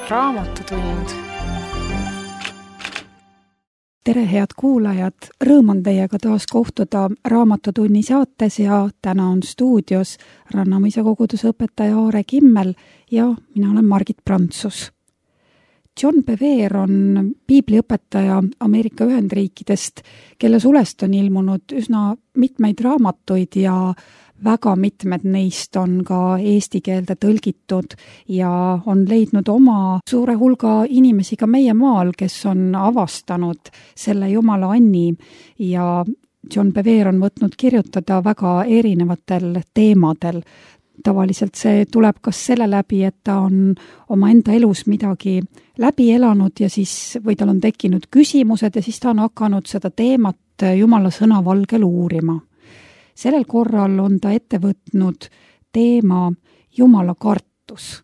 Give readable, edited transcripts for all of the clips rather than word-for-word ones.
Raamatutund. Tere, head kuulajad! Rõõm on teiega taas kohtuda Raamatutunni saates ja täna on stuudios Rannamõisa koguduse õpetaja Aare Kimmel ja mina olen Margit Prantsus. John Bevere on piibliõpetaja Ameerika Ühendriikidest, kelle sulest on ilmunud üsna mitmeid raamatuid ja väga mitmed neist on ka eesti keelde tõlgitud ja on leidnud oma suure hulga inimesi ka meie maal, kes on avastanud selle Jumala anni ja John Bevere on võtnud kirjutada väga erinevatel teemadel. Tavaliselt see tuleb kas selle läbi, et ta on oma enda elus midagi läbi elanud ja siis, või tal on tekkinud küsimused ja siis ta on hakanud seda teemat Jumala sõna valgel uurima. Sellel korral on ta ette võtnud teema Jumala kartus.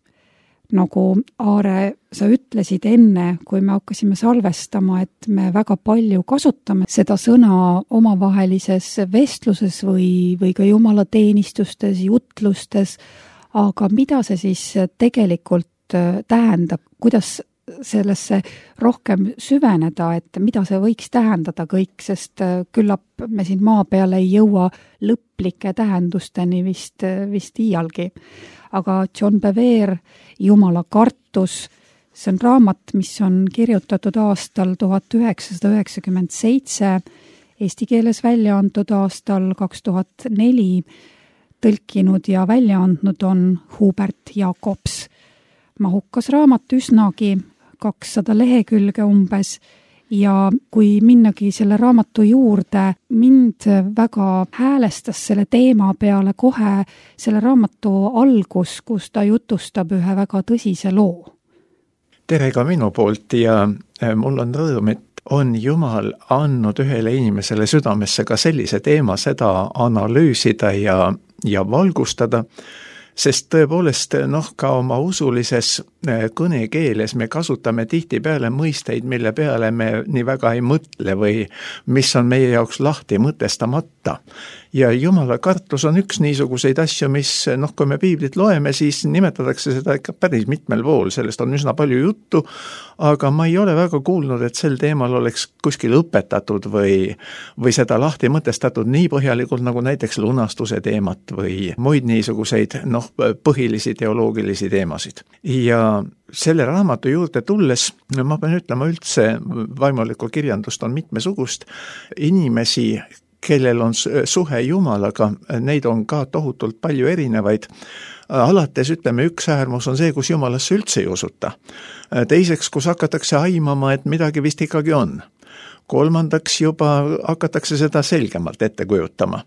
Nagu Aare, sa ütlesid enne, kui me hakkasime salvestama, et me väga palju kasutame seda sõna omavahelises vestluses või ka Jumala teenistustes, jutlustes, aga mida see siis tegelikult tähendab, kuidas sellesse rohkem süveneda, et mida see võiks tähendada kõik, sest küllap me siin maa peal ei jõua lõplike tähendusteni vist iialgi. Aga John Bevere, Jumala kartus, see on raamat, mis on kirjutatud aastal 1997, eesti keeles välja antud aastal 2004, tõlkinud ja välja andnud on Hubert Jacobs. Mahukas raamat üsnagi, 200 lehekülge umbes ja kui minnagi selle raamatu juurde, mind väga häälestas selle teema peale kohe selle raamatu algus, kus ta jutustab ühe väga tõsise loo. Tere ka minu poolt ja mul on rõõm, et on Jumal andnud ühele inimesele südamesse ka sellise teema seda analüüsida ja valgustada, sest tõepoolest ka oma usulises kõnekeeles me kasutame tihtipeale mõisteid, mille peale me nii väga ei mõtle või mis on meie jaoks lahti mõtestamata. Ja Jumala kartus on üks niisuguseid asju, mis kui me piiblit loeme, siis nimetatakse seda ikka päris mitmel pool, sellest on üsna palju juttu, aga ma ei ole väga kuulnud, et sel teemal oleks kuskil õpetatud või seda lahti mõtestatud nii põhjalikult nagu näiteks lunastuse teemat või muid niisuguseid põhilisi teoloogilisi teemasid. Ja selle raamatu juurde tulles, ma pean ütlema üldse, vaimulikku kirjandust on mitmesugust, inimesi, kellel on suhe Jumalaga, neid on ka tohutult palju erinevaid. Alates ütleme, üks äärmus on see, kus Jumalasse üldse ei usuta. Teiseks, kus hakatakse aimama, et midagi vist ikkagi on. Kolmandaks juba hakatakse seda selgemalt ette kujutama.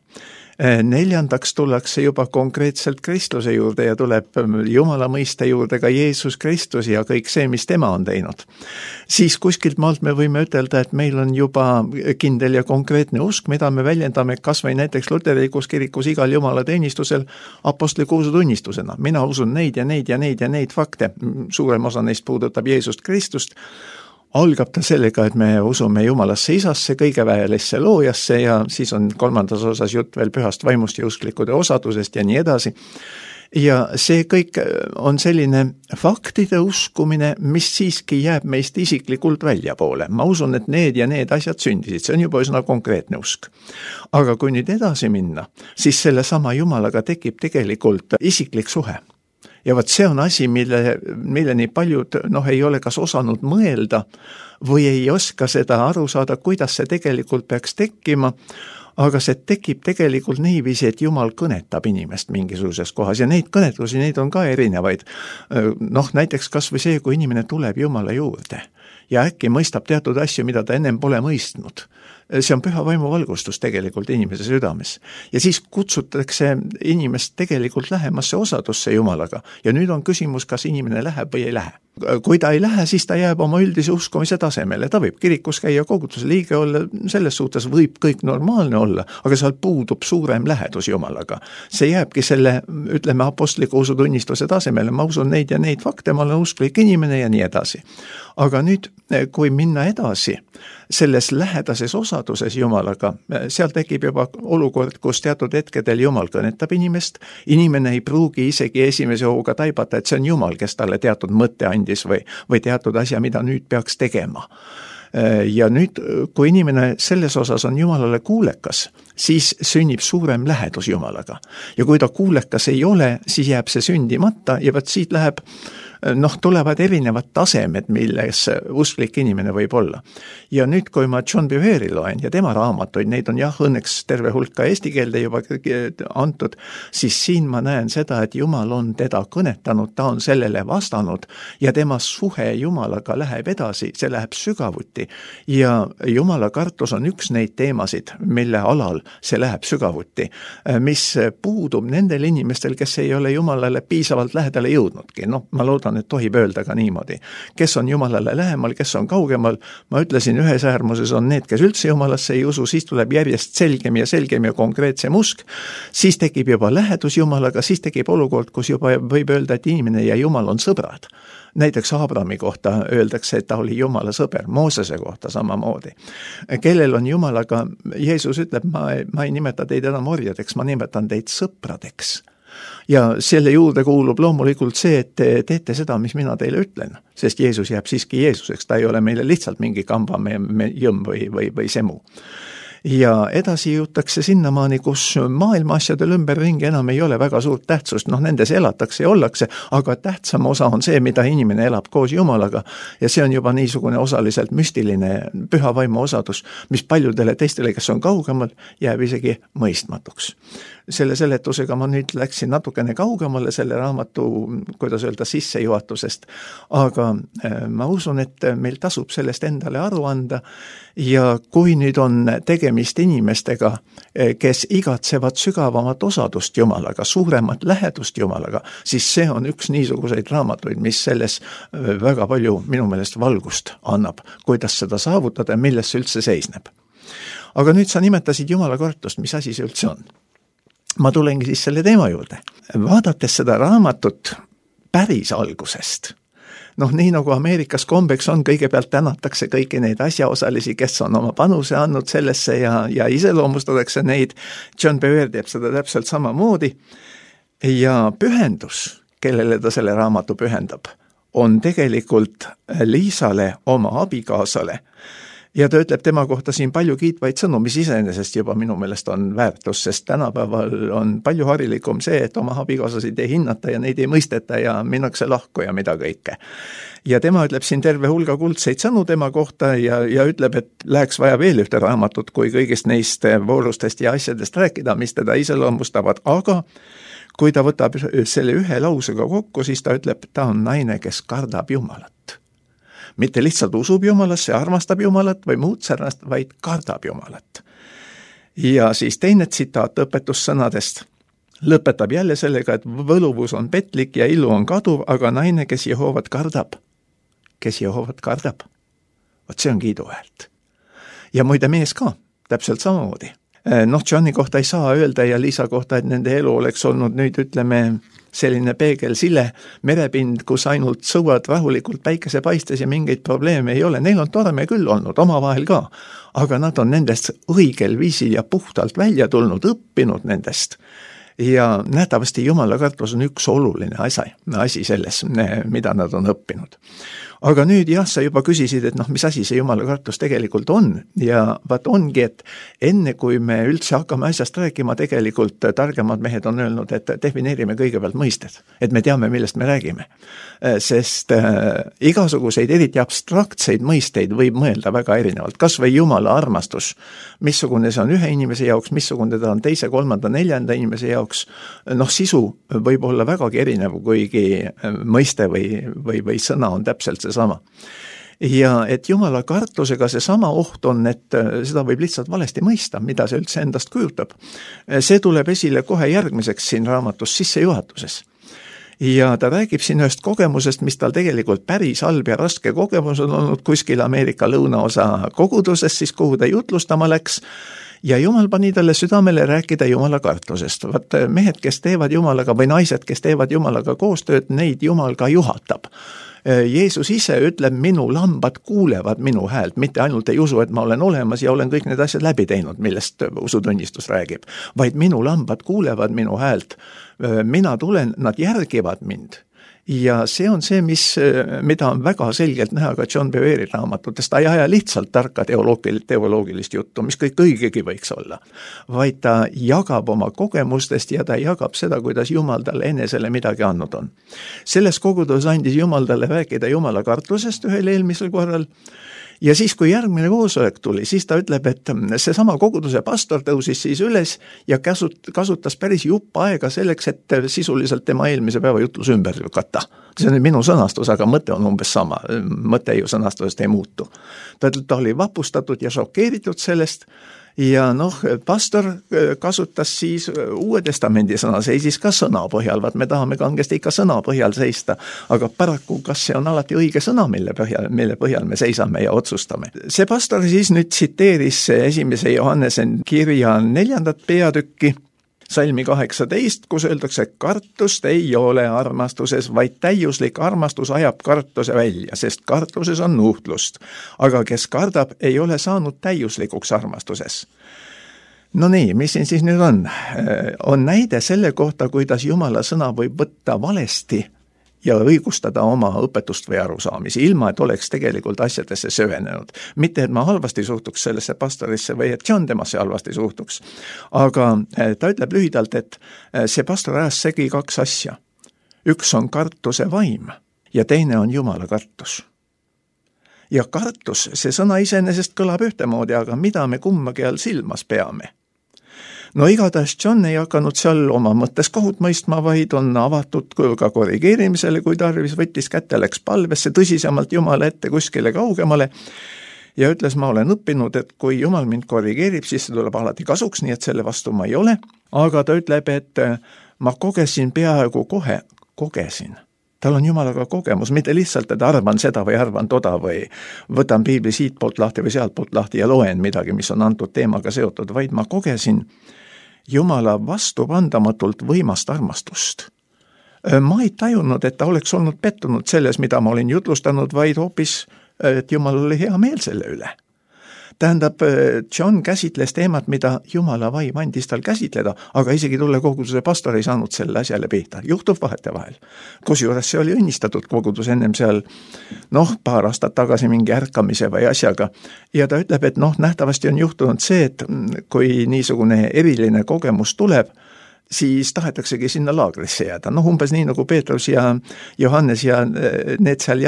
Neljandaks tullakse juba konkreetselt Kristuse juurde ja tuleb Jumala mõiste juurde ka Jeesus Kristus ja kõik see, mis tema on teinud. Siis kuskilt maalt me võime ütelda, et meil on juba kindel ja konkreetne usk, mida me väljendame kas või näiteks luterlikus kirikus igal Jumala teenistusel apostliku usutunnistusena. Mina usun neid ja neid ja neid ja neid fakte. Suurem osa neist puudutab Jeesust Kristust. Algab ta sellega, et me usume Jumalasse isasse, kõigeväelisse loojasse ja siis on kolmandas osas jutt veel pühast vaimust ja usklikude osadusest ja nii edasi. Ja see kõik on selline faktide uskumine, mis siiski jääb meist isiklikult väljapoole. Ma usun, et need ja need asjad sündisid, see on juba üsna konkreetne usk. Aga kui nüüd edasi minna, siis selle sama Jumalaga tekib tegelikult isiklik suhe. Ja võt see on asi, milleni paljud ei ole kas osanud mõelda või ei oska seda aru saada, kuidas see tegelikult peaks tekkima, aga see tekib tegelikult niiviisi, et Jumal kõnetab inimest mingisuguses kohas ja neid kõnetusi, neid on ka erinevaid. Näiteks kas või see, kui inimene tuleb Jumala juurde ja äkki mõistab teatud asju, mida ta ennem pole mõistnud. See on püha vaimu valgustus tegelikult inimese südames. Ja siis kutsutakse inimest tegelikult lähemasse osadusse Jumalaga. Ja nüüd on küsimus, kas inimene läheb või ei lähe. Kui ta ei lähe, siis ta jääb oma üldise uskumise tasemele. Ta võib kirikus käia, koguduse liige olla, selles suhtes võib kõik normaalne olla, aga seal puudub suurem lähedus Jumalaga. See jääbki selle, ütleme, apostliku usutunnistuse tasemele. Ma usun neid ja neid fakte, ma olen usklik inimene ja nii edasi. Aga nüüd, kui minna edasi, selles lähedases osaduses Jumalaga, seal tekib juba olukord, kus teatud hetkedel Jumal kõnetab inimest, inimene ei pruugi isegi esimese hooga taibata, et see on Jumal, kes talle teatud mõtte andis andis või teatud asja, mida nüüd peaks tegema. Ja nüüd, kui inimene selles osas on Jumalale kuulekas, siis sünnib suurem lähedus Jumalaga. Ja kui ta kuulekas ei ole, siis jääb see sündimata ja võt siit läheb tulevad erinevad tasemed, milles usklik inimene võib olla. Ja nüüd, kui ma John Bevere loen ja tema raamatuid, neid on õnneks terve hulk ka eesti keelde juba antud, siis siin ma näen seda, et Jumal on teda kõnetanud, ta on sellele vastanud ja tema suhe Jumalaga läheb edasi, see läheb sügavuti ja Jumala kartus on üks neid teemasid, mille alal see läheb sügavuti, mis puudub nendel inimestel, kes ei ole Jumalale piisavalt lähedale jõudnudki. Ma loodan, et tohib öelda ka niimoodi. Kes on Jumalale lähemal, kes on kaugemal, ma ütlesin, ühes äärmuses on need, kes üldse Jumalasse ei usu, siis tuleb järjest selgem ja konkreetsem usk, siis tekib juba lähedus Jumalaga, siis tekib olukord, kus juba võib öelda, et inimene ja Jumal on sõbrad. Näiteks Abrami kohta öeldakse, et ta oli Jumala sõber, Moosese kohta samamoodi. Kellel on Jumalaga, Jeesus ütleb, ma ei nimeta teid enam orjadeks, ma nimetan teid sõpradeks. Ja selle juurde kuulub loomulikult see, et te teete seda, mis mina teile ütlen, sest Jeesus jääb siiski Jeesuseks, ta ei ole meile lihtsalt mingi kamba jõmm või semu. Ja edasi jõutakse sinnamaani, kus maailma asjadel ümberringi enam ei ole väga suurt tähtsust, nendes elatakse ja ollakse, aga tähtsam osa on see, mida inimene elab koos Jumalaga ja see on juba niisugune osaliselt müstiline püha vaimu osadus, mis paljudele teistele, kes on kaugemal, jääb isegi mõistmatuks. Selle seletusega ma nüüd läksin natukene kaugemale selle raamatu, kuidas öelda, sissejuhatusest, aga ma usun, et meil tasub sellest endale aru anda ja kui nüüd on tegemist inimestega, kes igatsevad sügavamat osadust Jumalaga, suuremat lähedust Jumalaga, siis see on üks niisuguseid raamatuid, mis selles väga palju minu meelest valgust annab, kuidas seda saavutada ja milles see üldse seisneb. Aga nüüd sa nimetasid Jumala kartust, mis asi see üldse on? Ma tulengi siis selle teema juurde. Vaadates seda raamatut päris algusest, nii nagu Ameerikas kombeks on, kõigepealt tänatakse kõiki neid asjaosalisi, kes on oma panuse andnud sellesse ja iseloomustatakse neid. John Bevere teeb seda täpselt samamoodi ja pühendus, kellele ta selle raamatu pühendab, on tegelikult Liisale, oma abikaasale. Ja ta ütleb tema kohta siin palju kiitvaid sõnu, mis iseenesest juba minu meelest on väärtus, sest tänapäeval on palju harilikum see, et oma abikaasasid ei hinnata ja neid ei mõisteta ja minnakse lahku ja mida kõike. Ja tema ütleb siin terve hulga kuldseid sõnu tema kohta ja ütleb, et läheks vaja veel ühte raamatut, kui kõigist neist voorustest ja asjadest rääkida, mis teda iseloomustavad, aga kui ta võtab selle ühe lausega kokku, siis ta ütleb, ta on naine, kes kardab Jumalat. Mitte lihtsalt usub Jumalasse, armastab Jumalat või muud sarnast, vaid kardab Jumalat. Ja siis teine tsitaat õpetussõnadest lõpetab jälle sellega, et võluvus on petlik ja ilu on kaduv, aga naine, kes Jehovat kardab. Vot see on kiiduväärt. Ja muide mees ka, täpselt samamoodi. Johni kohta ei saa öelda ja Liisa kohta, et nende elu oleks olnud nüüd, ütleme, selline peegelsile merepind, kus ainult sõuad rahulikult päikesepaistes ja mingeid probleeme ei ole. Neil on torme küll olnud, omavahel ka, aga nad on nendest õigel viisil ja puhtalt välja tulnud, õppinud nendest. Ja nähtavasti Jumala kartus on üks oluline asi selles, mida nad on õppinud. Aga nüüd sa juba küsisid, et mis asi see Jumala kartus tegelikult on ja vaat ongi, et enne kui me üldse hakkame asjast rääkima, tegelikult targemad mehed on öelnud, et defineerime kõigepealt mõisted, et me teame, millest me räägime. Sest igasuguseid eriti abstraktseid mõisteid võib mõelda väga erinevalt, kas või Jumala armastus, missugune see on ühe inimese jaoks, missugune ta on teise, kolmanda, neljanda inimese jaoks, sisu võib olla vägagi erinev, kuigi mõiste või sõna on täpselt seesama. Ja et Jumala kartusega seesama oht on, et seda võib lihtsalt valesti mõista, mida see üldse endast kujutab. See tuleb esile kohe järgmiseks siin raamatus sissejuhatuses. Ja ta räägib siin ühest kogemusest, mis tal tegelikult päris halb ja raske kogemus on olnud kuskil Ameerika lõunaosa koguduses, siis kuhu ta jutlustama läks. Ja Jumal pani talle südamele rääkida Jumala kartusest. Vaat mehed, kes teevad Jumalaga või naised, kes teevad Jumalaga koostööd, neid Jumal ka juhatab. Jeesus ise ütleb, minu lambad kuulevad minu häält, mitte ainult ei usu, et ma olen olemas ja olen kõik need asjad läbi teinud, millest usutunnistus räägib, vaid minu lambad kuulevad minu häält. Mina tulen, nad järgivad mind Ja see on see, mida on väga selgelt näha ka John Bevere raamatutest. Ta ei aja lihtsalt tarka teoloogilist juttu, mis kõik õigegi võiks olla, vaid ta jagab oma kogemustest ja ta jagab seda, kuidas Jumal talle enesele midagi andnud on. Selles koguduses andis Jumal talle rääkida Jumala kartusest ühel eelmisel korral. Ja siis, kui järgmine koosolek tuli, siis ta ütleb, et seesama koguduse pastor tõusis siis üles ja kasutas päris jupp aega selleks, et sisuliselt tema eelmise päeva jutlus ümber lükata. See on minu sõnastus, aga mõte on umbes sama. Mõte ju sõnastusest ei muutu. Ta oli vapustatud ja šokeeritud sellest ja pastor kasutas siis Uue Testamendi sõna, seisis ka sõna põhjal, vaat me tahame kangesti ikka sõna põhjal seista, aga paraku kas see on alati õige sõna, mille põhjal me seisame ja otsustame. See pastor siis nüüd tsiteeris 1. Johannese kirja 4. peatükki, salmi 18, kus öeldakse, kartust ei ole armastuses, vaid täiuslik armastus ajab kartuse välja, sest kartuses on nuhtlust. Aga kes kardab, ei ole saanud täiuslikuks armastuses. No nii, mis siin siis nüüd on? On näide selle kohta, kuidas Jumala sõna võib võtta valesti ja õigustada oma õpetust või arusaamisi, ilma et oleks tegelikult asjadesse söönenud. Mitte, et ma halvasti suhtuks sellesse pastorisse või et John temasse halvasti suhtuks. Aga ta ütleb lühidalt, et see pastor ajas segi 2 asja. Üks on kartuse vaim ja teine on Jumala kartus. Ja kartus, see sõna iseenesest kõlab ühtemoodi, aga mida me kummagi all silmas peame? No igatahes John ei hakanud seal oma mõttes kohut mõistma, vaid on avatud ka korrigeerimisele, kui tarvis, võttis kätte, läks palvesse tõsisemalt Jumala ette kuskile kaugemale ja ütles, ma olen õppinud, et kui Jumal mind korrigeerib, siis see tuleb alati kasuks, nii et selle vastu ma ei ole. Aga ta ütleb, et ma kogesin peaaegu kohe, Tal on Jumalaga kogemus, mitte lihtsalt, et arvan seda või arvan toda või võtan piibli siit poolt lahti või sealt poolt lahti ja loen midagi, mis on antud teemaga seotud, vaid ma kogesin Jumala vastupandamatult võimast armastust. Ma ei tajunud, et ta oleks olnud pettunud selles, mida ma olin jutlustanud, vaid hoopis, et Jumal oli hea meel selle üle. Tähendab, John käsitles teemat, mida Jumala vaim andis tal käsitleda, aga isegi tulle koguduse pastor ei saanud selle asjale pihta. Juhtub vahetevahel. Kusjuures see oli õnnistatud kogudus ennem seal, paar aastat tagasi mingi ärkamise või asjaga. Ja ta ütleb, et nähtavasti on juhtunud see, et kui niisugune eriline kogemus tuleb, siis tahetaksegi sinna laagrisse jääda. Umbes nii nagu Peetrus ja Johannes ja need seal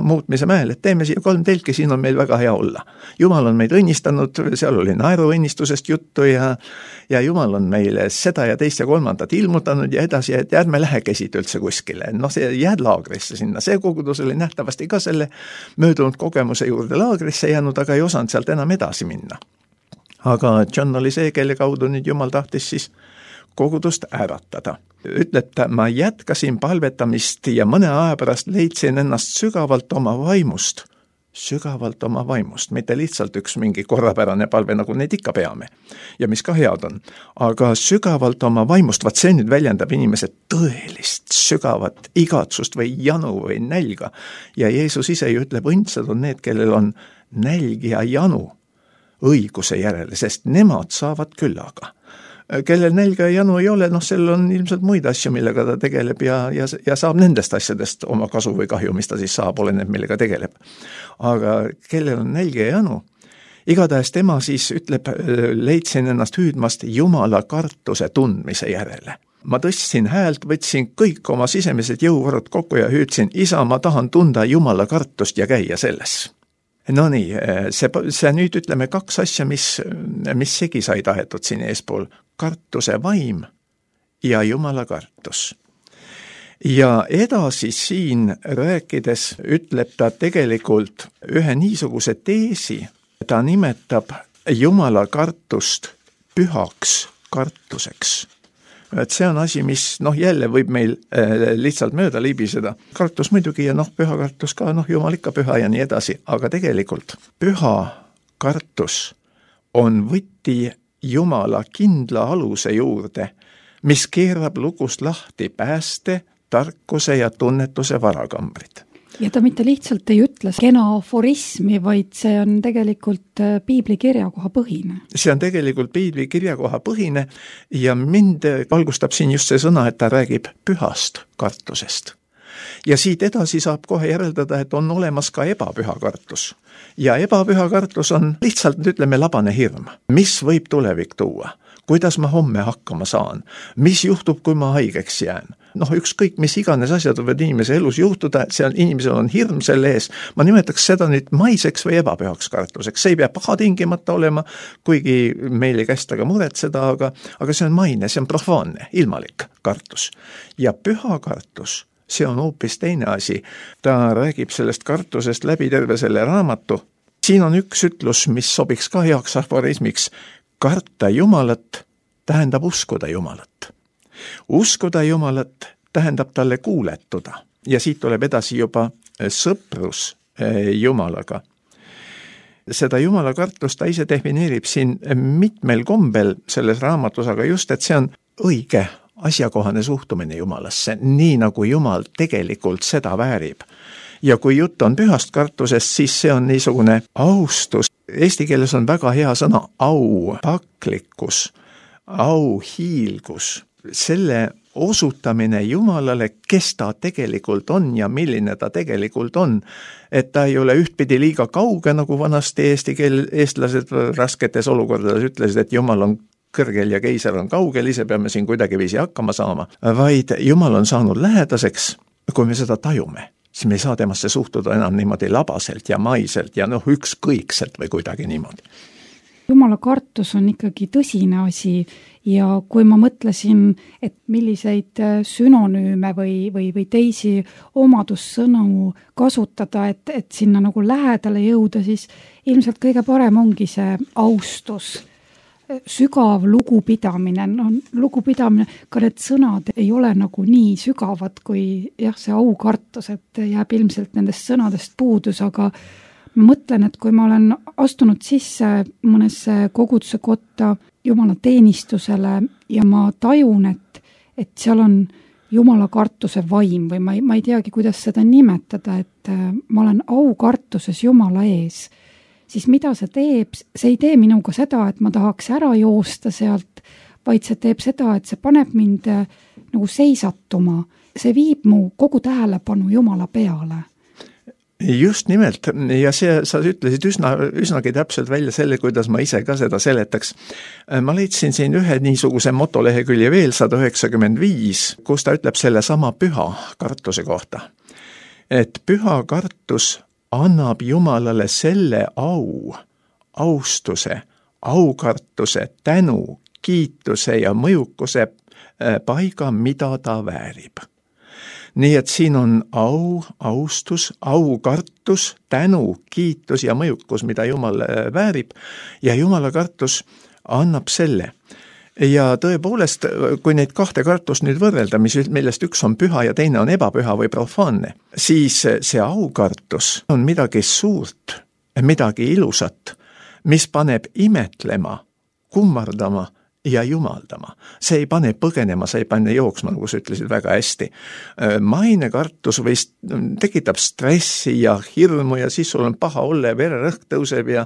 muutmise mäel, et teeme siia 3 telki, siin on meil väga hea olla. Jumal on meid õnnistanud, seal oli naeruõnnistusest juttu ja Jumal on meile seda ja teist ja 3. ilmutanud ja edasi, et ärme lähe kesid üldse kuskile. See jääd laagrisse sinna. See kogudus oli nähtavasti ka selle möödunud kogemuse juurde laagrisse jäänud, aga ei osanud sealt enam edasi minna. Aga John oli see, kelle kaudu nüüd Jumal tahtis siis kogudust äratada. Ütleb ta, ma jätkasin palvetamist ja mõne aja pärast leidsin ennast sügavalt oma vaimust, mitte lihtsalt üks mingi korrapärane palve, nagu neid ikka peame ja mis ka head on, aga sügavalt oma vaimust, vaat see nüüd väljendab inimese tõelist sügavat igatsust või janu või nälga ja Jeesus ise ju ütleb, õndsad on need, kellel on nälg ja janu õiguse järele, sest nemad saavad küllaga. Kellel nälga ja janu ei ole, sellel on ilmselt muid asju, millega ta tegeleb ja saab nendest asjadest oma kasu või kahju, mis ta siis saab, oleneb, millega tegeleb. Aga kellel on nälga ja janu, igatahes tema siis ütleb, leidsin ennast hüüdmast Jumala kartuse tundmise järele. Ma tõstsin häält, võtsin kõik oma sisemised jõuvarud kokku ja hüüdsin, isa, ma tahan tunda Jumala kartust ja käia selles. No nii, see nüüd ütleme 2 asja, mis segi sai tahetud siin eespool. Kartuse vaim ja Jumala kartus. Ja edasi siin rääkides ütleb ta tegelikult ühe niisuguse teesi, ta nimetab Jumala kartust pühaks kartuseks. Et see on asi, mis jälle võib meil lihtsalt mööda libiseda. Kartus muidugi ja püha kartus ka, Jumal ikka püha ja nii edasi, aga tegelikult püha kartus on võti Jumala kindla aluse juurde, mis keerab lugust lahti pääste, tarkuse ja tunnetuse varakambrid. Ja ta mitte lihtsalt ei ütle kena aforismi, vaid see on tegelikult piibli kirjakoha põhine. See on tegelikult piibli kirjakoha põhine ja mind valgustab siin just see sõna, et ta räägib pühast kartusest. Ja siit edasi saab kohe järeldada, et on olemas ka ebapüha kartus. Ja ebapüha kartus on lihtsalt, ütleme, labane hirm. Mis võib tulevik tuua? Kuidas ma homme hakkama saan? Mis juhtub, kui ma haigeks jään? Ükskõik, mis iganes asjad võivad inimese elus juhtuda, inimesel on hirm selle ees. Ma nimetaks seda nüüd maiseks või ebapühaks kartuseks. See ei pea paha tingimata olema, kuigi meil ei kästa ka muretseda, aga see on maine, see on profaanne, ilmalik kartus. Ja püha kartus, see on hoopis teine asi. Ta räägib sellest kartusest läbi terve selle raamatu. Siin on üks ütlus, mis sobiks ka heaks aforismiks. Karta Jumalat tähendab uskuda Jumalat. Uskuda Jumalat tähendab talle kuuletuda. Ja siit tuleb edasi juba sõprus Jumalaga. Seda Jumala kartust ta ise defineerib siin mitmel kombel selles raamatus, aga just, et see on õige asjakohane suhtumine Jumalasse, nii nagu Jumal tegelikult seda väärib. Ja kui jutt on pühast kartusest, siis see on niisugune austus. Eesti keeles on väga hea sõna aupaklikkus, auhiilgus. Selle osutamine Jumalale, kes ta tegelikult on ja milline ta tegelikult on. Et ta ei ole ühtpidi liiga kauge, nagu vanasti eestlased rasketes olukordades ütlesid, et Jumal on kõrgel ja keiser on kaugel, ise peame siin kuidagi viisi hakkama saama. Vaid Jumal on saanud lähedaseks, kui me seda tajume. Siis me ei saa temasse suhtuda enam niimoodi labaselt ja maiselt ja ükskõikselt või kuidagi niimoodi. Jumala kartus on ikkagi tõsine asi ja kui ma mõtlesin, et milliseid sünonüüme või teisi omadussõnu kasutada, et sinna nagu lähedale jõuda, siis ilmselt kõige parem ongi see austus. Sügav lugupidamine, lugupidamine, ka need sõnad ei ole nagu nii sügavad kui see aukartus, et jääb ilmselt nendest sõnadest puudus, aga ma mõtlen, et kui ma olen astunud sisse mõnesse koguduse kotta Jumala teenistusele ja ma tajun, et seal on Jumala kartuse vaim või ma ei teagi, kuidas seda nimetada, et ma olen aukartuses Jumala ees, siis mida see teeb? See ei tee minuga seda, et ma tahaks ära joosta sealt, vaid see teeb seda, et see paneb mind nagu seisatuma. See viib mu kogu tähelepanu Jumala peale. Just nimelt, ja sa ütlesid üsnagi täpselt välja selle, kuidas ma ise ka seda seletaks. Ma leidsin siin ühe niisuguse motolehekülje veel 195, kus ta ütleb selle sama püha kartuse kohta. Et püha kartus annab Jumalale selle austuse, aukartuse, tänu, kiituse ja mõjukuse paiga, mida ta väärib. Nii et siin on austus, aukartus, tänu, kiitus ja mõjukus, mida Jumal väärib ja Jumala kartus annab selle. Ja tõepoolest, kui neid kahte kartust nüüd võrrelda, millest üks on püha ja teine on ebapüha või profaanne, siis see aukartus on midagi suurt, midagi ilusat, mis paneb imetlema, kummardama ja jumaldama. See ei pane põgenema, see ei pane jooksma, nagu sa ütlesid väga hästi. Mainekartus tekitab stressi ja hirmu ja siis sul on paha olla ja vererõhk tõuseb ja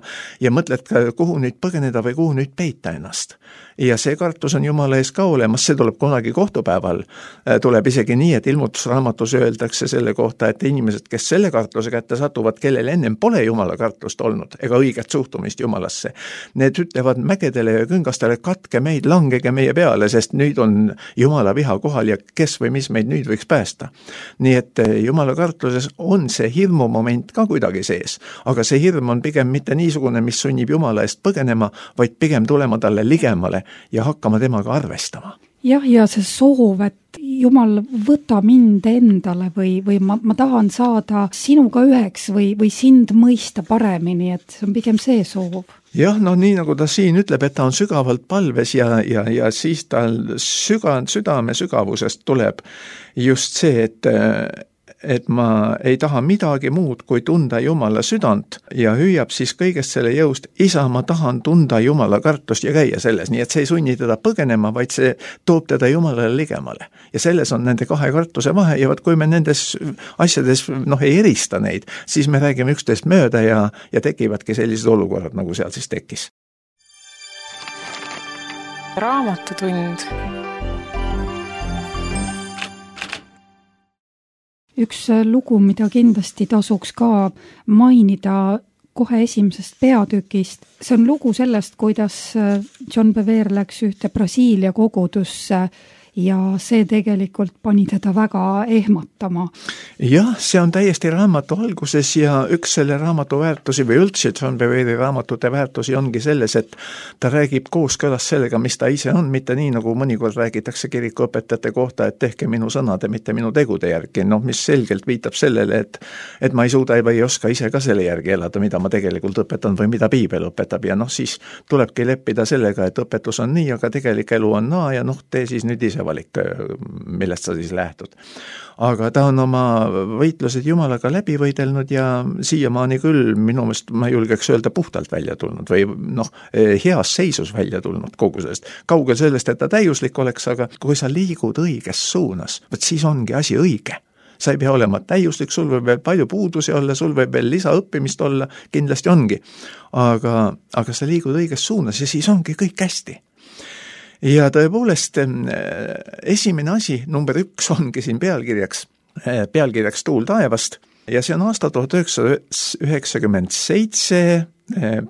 mõtled, kuhu nüüd põgeneda või kuhu nüüd peita ennast. Ja see kartus on Jumala ees ka olemas, see tuleb kunagi kohtupäeval. Tuleb isegi nii, et ilmutusraamatus öeldakse selle kohta, et inimesed, kes selle kartuse kätte satuvad, kellel ennem pole Jumala kartust olnud ega õiget suhtumist Jumalasse, need ütlevad mägedele ja küngastele, katke meid, langege meie peale, sest nüüd on Jumala viha kohal ja kes või mis meid nüüd võiks päästa. Nii et Jumala kartuses on see hirmu moment ka kuidagi sees, aga see hirm on pigem mitte niisugune, mis sunnib Jumala eest põgenema, vaid pigem tulema talle ligemale ja hakkama temaga arvestama. Ja see soov, et Jumal võta mind endale või ma tahan saada sinuga üheks või sind mõista paremini, et see on pigem see soov. Jah, nii nagu ta siin ütleb, et ta on sügavalt palves ja siis tal südame sügavusest tuleb just see, et ma ei taha midagi muud kui tunda Jumala südant ja hüüab siis kõigest selle jõust, isa, ma tahan tunda Jumala kartust ja käia selles, nii et see ei sunni teda põgenema, vaid see toob teda Jumalale ligemale. Ja selles on nende kahe kartuse vahe ja kui me nendes asjades ei erista neid, siis me räägime üksteist mööda ja tekivadki sellised olukorrad, nagu seal siis tekkis. Raamatutund. Üks lugu, mida kindlasti tasuks ka mainida kohe esimesest peatükist, see on lugu sellest, kuidas John Bevere läks ühte Brasiilia kogudusse ja see tegelikult pani teda väga ehmatama. Jah, see on täiesti raamatu alguses ja üks selle raamatu väärtusi või üldse John Bevere raamatute väärtusi ongi selles, et ta räägib kooskõlas sellega, mis ta ise on, mitte nii, nagu mõnikord räägitakse kirikuõpetajate kohta, et tehke minu sõnade, mitte minu tegude järgi, mis selgelt viitab sellele, et ma ei suuda või ei oska ise ka selle järgi elada, mida ma tegelikult õpetan või mida piibel õpetab ja siis tulebki leppida sellega, et õpetus on nii, aga tegelik elu on naa ja tee siis nüüd ise valik, millest sa siis lähtud. Aga ta on oma võitlused Jumalaga läbi võidelnud ja siiamaani küll minu meelest ma julgeks öelda puhtalt välja tulnud või heas seisus välja tulnud kogu sellest. Kaugel sellest, et ta täiuslik oleks, aga kui sa liigud õiges suunas, siis ongi asi õige. Sa ei pea olema täiuslik, sul võib veel palju puudusi olla, sul võib veel lisaõppimist olla, kindlasti ongi. Aga sa liigud õiges suunas ja siis ongi kõik hästi. Ja tõepoolest esimene asi, number 1 ongi siin pealkirjaks Tuul taevast ja see on aasta 1997,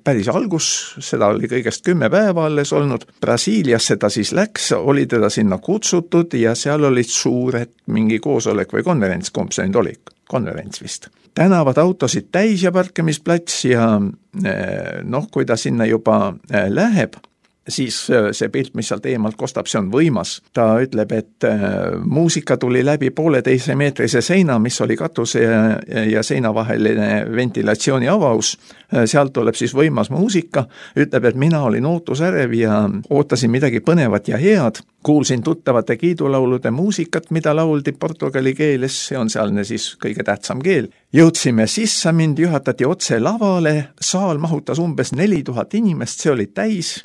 päris algus, seda oli kõigest 10 päeva alles olnud, Brasiiliasse ta siis läks, oli teda sinna kutsutud ja seal olid suured mingi koosolek või konverents, kumb see nüüd oli, konverents vist. Tänavad autosid täis ja parkimisplats ja kui ta sinna juba läheb, siis see pilt, mis sealt eemalt kostab, see on võimas. Ta ütleb, et muusika tuli läbi 1,5 meetrise seina, mis oli katuse ja seina vaheline ventilatsiooni avaus. Sealt tuleb siis võimas muusika. Ütleb, et mina olin ootusärev ja ootasin midagi põnevat ja head. Kuulsin tuttavate kiidulaulude muusikat, mida lauldi portugali keeles, see on sealne siis kõige tähtsam keel. Jõudsime sisse, mind juhatati otse lavale, saal mahutas umbes 4000 inimest, see oli täis.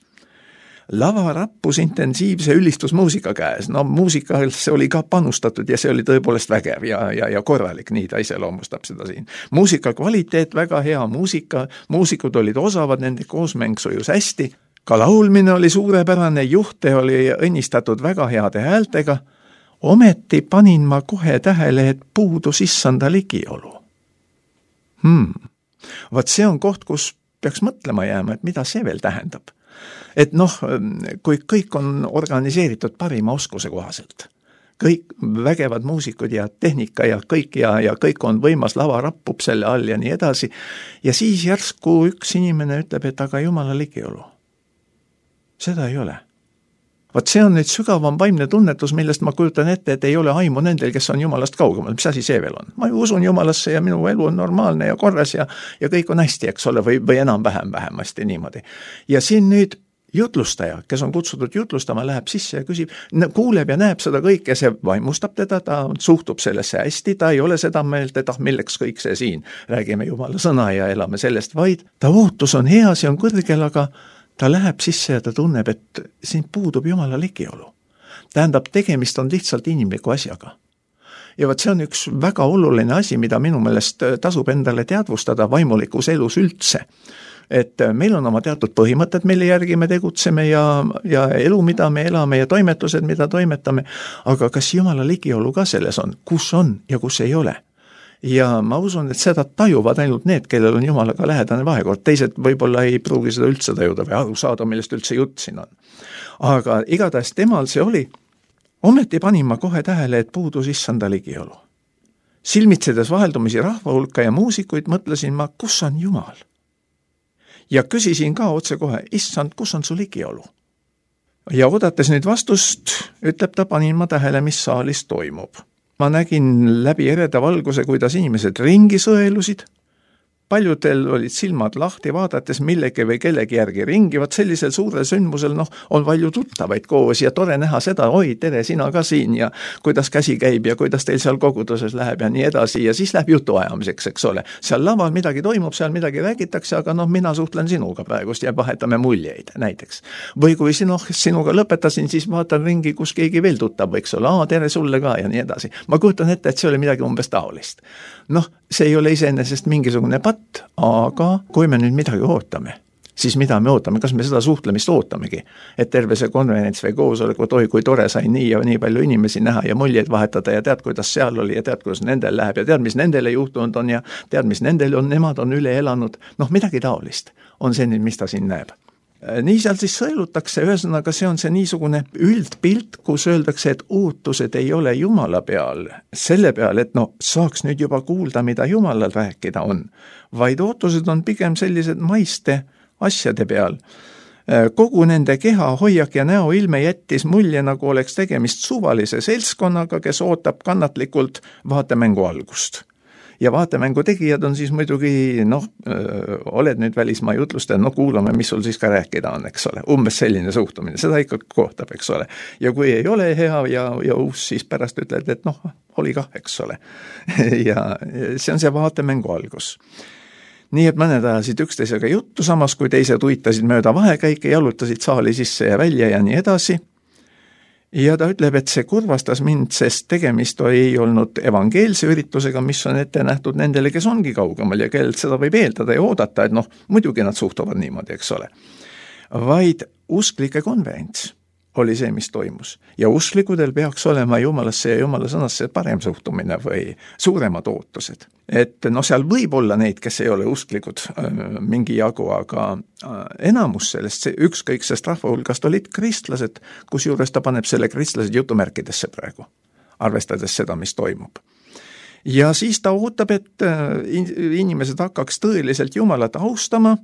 Lava rappus intensiivse ülistusmuusika käes. Muusikasse oli ka panustatud ja see oli tõepoolest vägev ja korralik, nii ta iseloomustab seda siin. Muusika kvaliteet, väga hea muusika, muusikud olid osavad, nende koosmäng sujus hästi. Ka laulmine oli suurepärane, juhte oli õnnistatud väga heade häältega. Ometi panin ma kohe tähele, et puudus issanda ligiolu. Vaat see on koht, kus peaks mõtlema jääma, et mida see veel tähendab. Et kui kõik on organiseeritud parima oskuse kohaselt, kõik vägevad muusikud ja tehnika ja kõik on võimas, lava rappub selle all ja nii edasi, ja siis järsku üks inimene ütleb, et aga Jumala ligiolu. Seda ei ole. Vaat see on nüüd sügavam vaimne tunnetus, millest ma kujutan ette, et ei ole aimu nendel, kes on Jumalast kaugemal. Mis asi see veel on? Ma ju usun Jumalasse ja minu elu on normaalne ja korras ja kõik on hästi, eks ole, või enam-vähem vähemasti niimoodi. Ja siin nüüd jutlustaja, kes on kutsutud jutlustama, läheb sisse ja küsib, kuuleb ja näeb seda kõike, see vaimustab teda, ta suhtub sellesse hästi, ta ei ole seda meelt, et milleks kõik see siin, räägime Jumala sõna ja elame sellest, vaid ta ootus on hea, see on kõrgel, aga ta läheb sisse ja ta tunneb, et siin puudub Jumala ligiolu. Tähendab, tegemist on lihtsalt inimliku asjaga. Ja vaat see on üks väga oluline asi, mida minu meelest tasub endale teadvustada vaimulikus elus üldse. Et meil on oma teatud põhimõtted, mille järgi me tegutseme ja elu, mida me elame ja toimetused, mida toimetame, aga kas Jumala ligiolu ka selles on, kus on ja kus ei ole? Ja ma usun, et seda tajuvad ainult need, kellel on Jumalaga lähedane vahekord, teised võib-olla ei pruugi seda üldse tajuda või aru saada, millest üldse jutt siin on. Aga igatahes temal see oli, ometi panin ma kohe tähele, et puudus issanda ligiolu. Silmitsedes vaheldumisi rahva hulka ja muusikuid mõtlesin ma, kus on Jumal? Ja küsisin ka otse kohe, issand, kus on su ligiolu? Ja oodates nüüd vastust, ütleb ta, panin ma tähele, mis saalis toimub. Ma nägin läbi ereda valguse, kuidas inimesed ringi sõelusid. Paljudel olid silmad lahti, vaadates millegi või kellegi järgi ringi, vaat sellisel suurel sündmusel on palju tuttavaid koos ja tore näha seda, oi, tere, sina ka siin ja kuidas käsi käib ja kuidas teil seal koguduses läheb ja nii edasi ja siis läheb jutuajamiseks, eks ole. Seal laval midagi toimub, seal midagi räägitakse, aga mina suhtlen sinuga praegust ja vahetame muljeid näiteks. Või kui sinuga lõpetasin, siis vaatan ringi, kus keegi veel tuttav võiks olla, tere sulle ka ja nii edasi. Ma kujutan ette, et see oli midagi umbes taolist. See ei ole iseenesest mingisugune patt, aga kui me nüüd midagi ootame, siis mida me ootame, kas me seda suhtlemist ootamegi, et terve see konverents või koosolek, oi kui tore sai nii ja nii palju inimesi näha ja muljeid vahetada ja tead, kuidas seal oli ja tead, kuidas nendel läheb ja tead, mis nendele juhtunud on ja tead, mis nendel on, nemad on üle elanud, midagi taolist on see nüüd, mis ta siin näeb. Nii seal siis sõelutakse, ühesõnaga see on see niisugune üldpilt, kus öeldakse, et ootused ei ole Jumala peal, selle peal, et saaks nüüd juba kuulda, mida Jumalal rääkida on, vaid ootused on pigem sellised maiste asjade peal. Kogu nende keha, hoiak ja näoilme jättis mulje, nagu oleks tegemist suvalise seltskonnaga, kes ootab kannatlikult vaatemängu algust. Ja vaatemängu tegijad on siis muidugi, oled nüüd välismaa jutlustel, kuulame, mis sul siis ka rääkida on, eks ole. Umbes selline suhtumine, seda ikka kohtab, eks ole. Ja kui ei ole hea ja uus, siis pärast ütled, et oli kah, eks ole. Ja see on see vaatemängu algus. Nii et mõned ajasid üksteisega juttu, samas kui teised uitasid mööda vahekäike, jalutasid saali sisse ja välja ja nii edasi. Ja ta ütleb, et see kurvastas mind, sest tegemist ei olnud evangeelse üritusega, mis on ette nähtud nendele, kes ongi kaugemal ja kellelt seda võib eeldada ja oodata, et muidugi nad suhtuvad niimoodi, eks ole. Vaid usklike konverents oli see, mis toimus. Ja usklikudel peaks olema Jumalasse ja Jumala sõnasse parem suhtumine või suuremad ootused. Et seal võib olla neid, kes ei ole usklikud mingi jagu, aga enamus sellest, ükskõiksest rahva hulgast olid kristlased, kusjuures ta paneb selle kristlased jutumärkidesse praegu, arvestades seda, mis toimub. Ja siis ta ootab, et inimesed hakkaks tõeliselt Jumalat austama.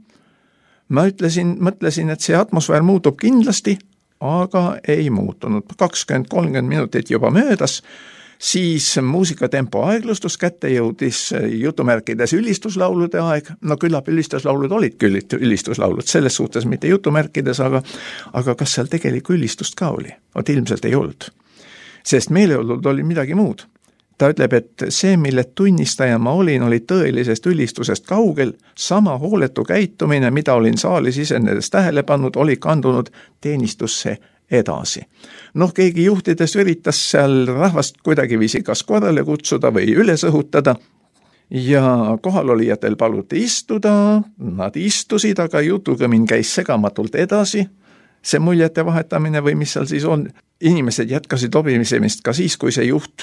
Ma mõtlesin, et see atmosfäär muutub kindlasti, aga ei muutunud. 20-30 minutit juba möödas, siis muusikatempo aeglustus, kätte jõudis jutumärkides ülistuslaulude aeg. Küllap ülistuslaulud olid küll ülistuslaulud, selles suhtes mitte jutumärkides, aga kas seal tegelikku ülistust ka oli? Ilmselt ei olnud, sest meeleolud oli midagi muud. Ta ütleb, et see, mille tunnistaja ma olin, oli tõelisest ülistusest kaugel, sama hooletu käitumine, mida olin saalis isenedes tähele pannud, oli kandunud teenistusse edasi. Keegi juhtides üritas seal rahvast kuidagiviisi kas korrale kutsuda või üles õhutada ja kohalolijatel paluti istuda, nad istusid, aga jutugõmin käis segamatult edasi. See muljete vahetamine või mis seal siis on, inimesed jätkasid lobisemist ka siis, kui see juht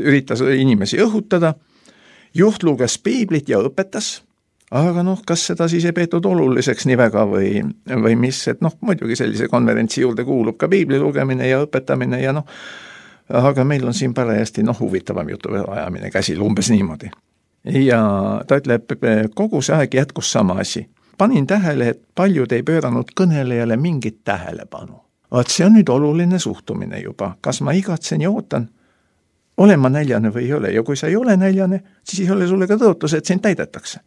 üritas inimesi õhutada. Juht luges piiblit ja õpetas, aga kas seda siis ei peetud oluliseks nii väga või mis, et muidugi sellise konverentsi juurde kuulub ka piibli lugemine ja õpetamine ja aga meil on siin parajasti huvitavam jutu ajamine käsil, umbes niimoodi. Ja ta ütleb, kogu see aeg jätkus sama asi. Panin tähele, et paljud ei pööranud kõnelejale mingit tähelepanu. See on nüüd oluline suhtumine juba. Kas ma igatsen ja ootan? Olen ma näljane või ei ole? Ja kui sa ei ole näljane, siis ei ole sulle ka tõotus, et sind täidetakse.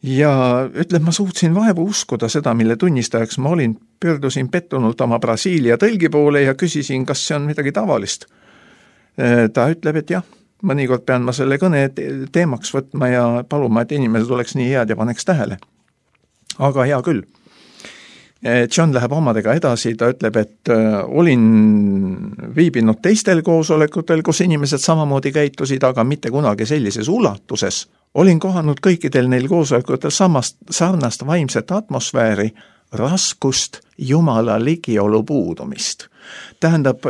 Ja ütleb, ma suutsin vaevu uskuda seda, mille tunnistajaks ma olin. Pöördusin pettunult oma Brasiilia tõlgi poole ja küsisin, kas see on midagi tavalist. Ta ütleb, et jah, mõnikord pean ma selle kõne teemaks võtma ja paluma, et inimesed oleks nii head ja paneks tähele. Aga hea küll. John läheb omadega edasi, ta ütleb, et olin viibinud teistel koosolekutel, kus inimesed samamoodi käitusid, aga mitte kunagi sellises ulatuses. Olin kohanud kõikidel neil koosolekutel sarnast vaimset atmosfääri, raskust, Jumala ligiolu puudumist. Tähendab,